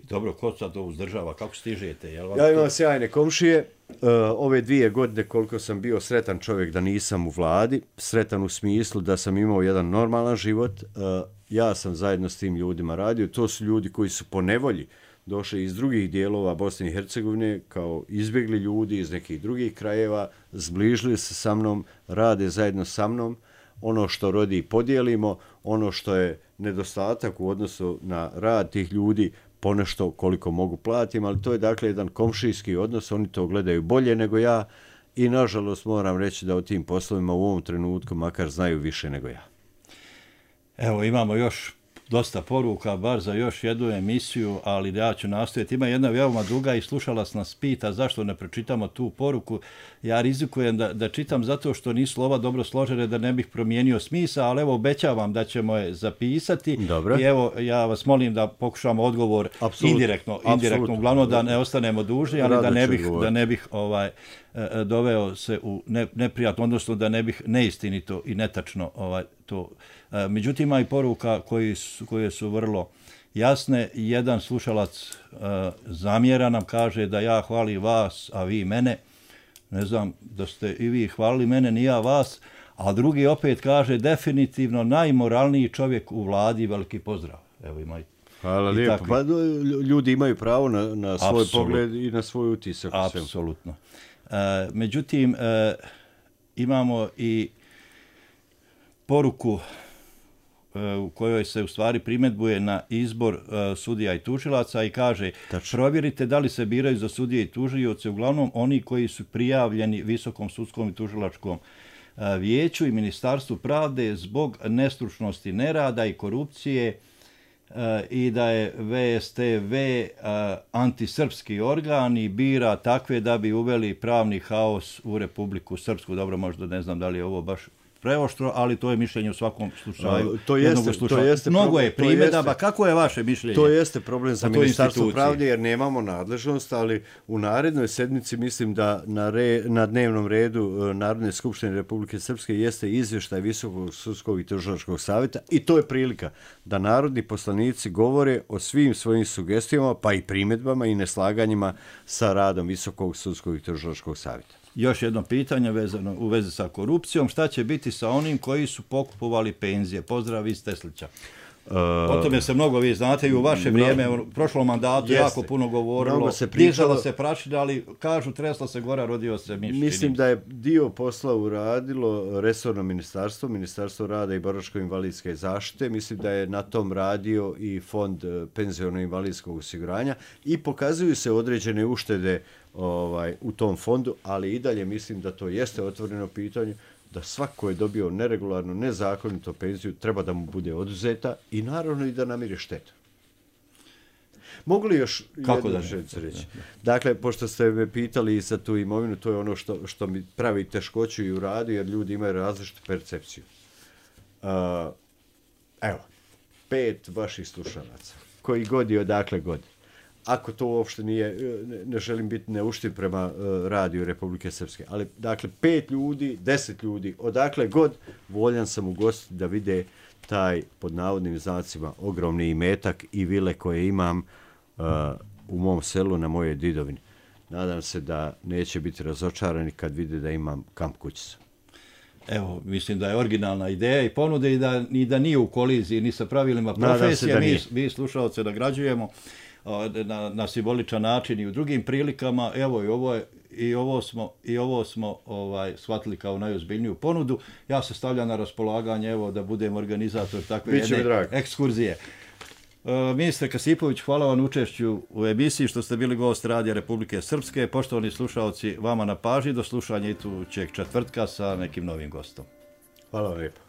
Dobro, ko sad to uzdržava? Kako stižete? Jel vam ja imam to... sjajne komšije. Uh, ove dvije godine koliko sam bio sretan čovjek da nisam u vladi, sretan u smislu da sam imao jedan normalan život, uh, ja sam zajedno s tim ljudima radio. To su ljudi koji su po nevolji došli iz drugih dijelova Bosne i Hercegovine kao izbjegli ljudi iz nekih drugih krajeva, zbližili se sa mnom, rade zajedno sa mnom. Ono što rodi podijelimo, ono što je nedostatak u odnosu na rad tih ljudi, ponešto koliko mogu platim, ali to je dakle jedan komšijski odnos, oni to gledaju bolje nego ja i nažalost moram reći da o tim poslovima u ovom trenutku makar znaju više nego ja. Evo imamo još dosta poruka, bar za još jednu emisiju, ali ja ću nastojati. Ima jedna veoma duga i slušalac nas pita zašto ne pročitamo tu poruku. Ja rizikujem da, da čitam zato što nisu slova dobro složene, da ne bih promijenio smisa, ali evo obećavam da ćemo je zapisati. Dobro. I evo ja vas molim da pokušamo odgovor Absolut. indirektno, indirektno uglavnom da ne ostanemo dužni, ali da ne bih, da ne bih ovaj, doveo se u ne, neprijatno, odnosno da ne bih neistinito i netačno ovaj, to. Međutim, ima i poruka koji su, koje su vrlo jasne. Jedan slušalac uh, zamjera nam, kaže da ja hvalim vas, a vi mene. Ne znam da ste i vi hvalili mene, ni ja vas. A drugi opet kaže definitivno najmoralniji čovjek u vladi, veliki pozdrav. Evo ima i Hvala lijepo. Pa, ljudi imaju pravo na, na svoj Absolut. pogled i na svoj utisak. Apsolutno. Uh, međutim, uh, imamo i poruku u kojoj se u stvari primjedbuje na izbor uh, sudija i tužilaca i kaže Tačno. provjerite da li se biraju za sudije i tužioce uglavnom oni koji su prijavljeni Visokom sudskom i tužilačkom uh, vijeću i Ministarstvu pravde zbog nestručnosti, nerada i korupcije i da je V S T V antisrpski organ i bira takve da bi uveli pravni haos u Republiku Srpsku. Dobro, možda ne znam da li je ovo baš preoštro, ali to je mišljenje u svakom slučaju. To jeste, to jeste Mnogo problem, je primjedaba. Kako je vaše mišljenje? To jeste problem za Ministarstvo pravde jer nemamo nadležnost, ali u narednoj sedmici mislim da na, re, na dnevnom redu Narodne skupštine Republike Srpske jeste izvještaj Visokog sudskog i tužilačkog savjeta i to je prilika da narodni poslanici govore o svim svojim sugestijama, pa i primjedbama i neslaganjima sa radom Visokog sudskog i tužilačkog savjeta. Još jedno pitanje vezano u vezi sa korupcijom. Šta će biti sa onim koji su pokupovali penzije? Pozdrav iz Teslića. Uh, o tome se mnogo, vi znate, i u vaše vrijeme, u prošlom mandatu jeste, jako puno govorilo, se dižala se prašina, ali kažu tresla se gora, rodio se miš. Mislim da je dio posla uradilo resorno ministarstvo, Ministarstvo rada i boračko-invalidske zaštite. Mislim da je na tom radio i Fond penziono-invalidskog osiguranja i pokazuju se određene uštede ovaj, u tom fondu, ali i dalje mislim da to jeste otvoreno pitanje, da svako je dobio neregularnu, nezakonito penziju, treba da mu bude oduzeta i naravno i da namiri štetu. Mogu li još Kako jednu želju reći? Dakle, pošto ste me pitali za tu imovinu, to je ono što, što mi pravi teškoću i u radu, jer ljudi imaju različitu percepciju. Uh, evo, pet vaših slušalaca, koji god i odakle god. Ako to uopšte nije, ne, ne želim biti neuštiv prema uh, radiju Republike Srpske, ali dakle pet ljudi, deset ljudi, odakle god, voljan sam ugostiti da vide taj, pod navodnim znacima, ogromni imetak i vile koje imam uh, u mom selu na mojoj didovini. Nadam se da neće biti razočarani kad vide da imam kamp kućicu. Evo, mislim da je originalna ideja i ponude i da, i da nije u koliziji ni sa pravilima profesije. Mi, mi slušalce nagrađujemo na, na simboličan način i u drugim prilikama. Evo i ovo je, i ovo smo i ovo smo ovaj shvatili kao najozbiljniju ponudu. Ja se stavljam na raspolaganje, evo, da budem organizator takve jedne ekskurzije. Ministre Kasipović, hvala vam učešću u emisiji što ste bili gost Radija Republike Srpske. Poštovani slušalci, vama na pažnji, do slušanja idućeg četvrtka sa nekim novim gostom. Hvala vam lijepo.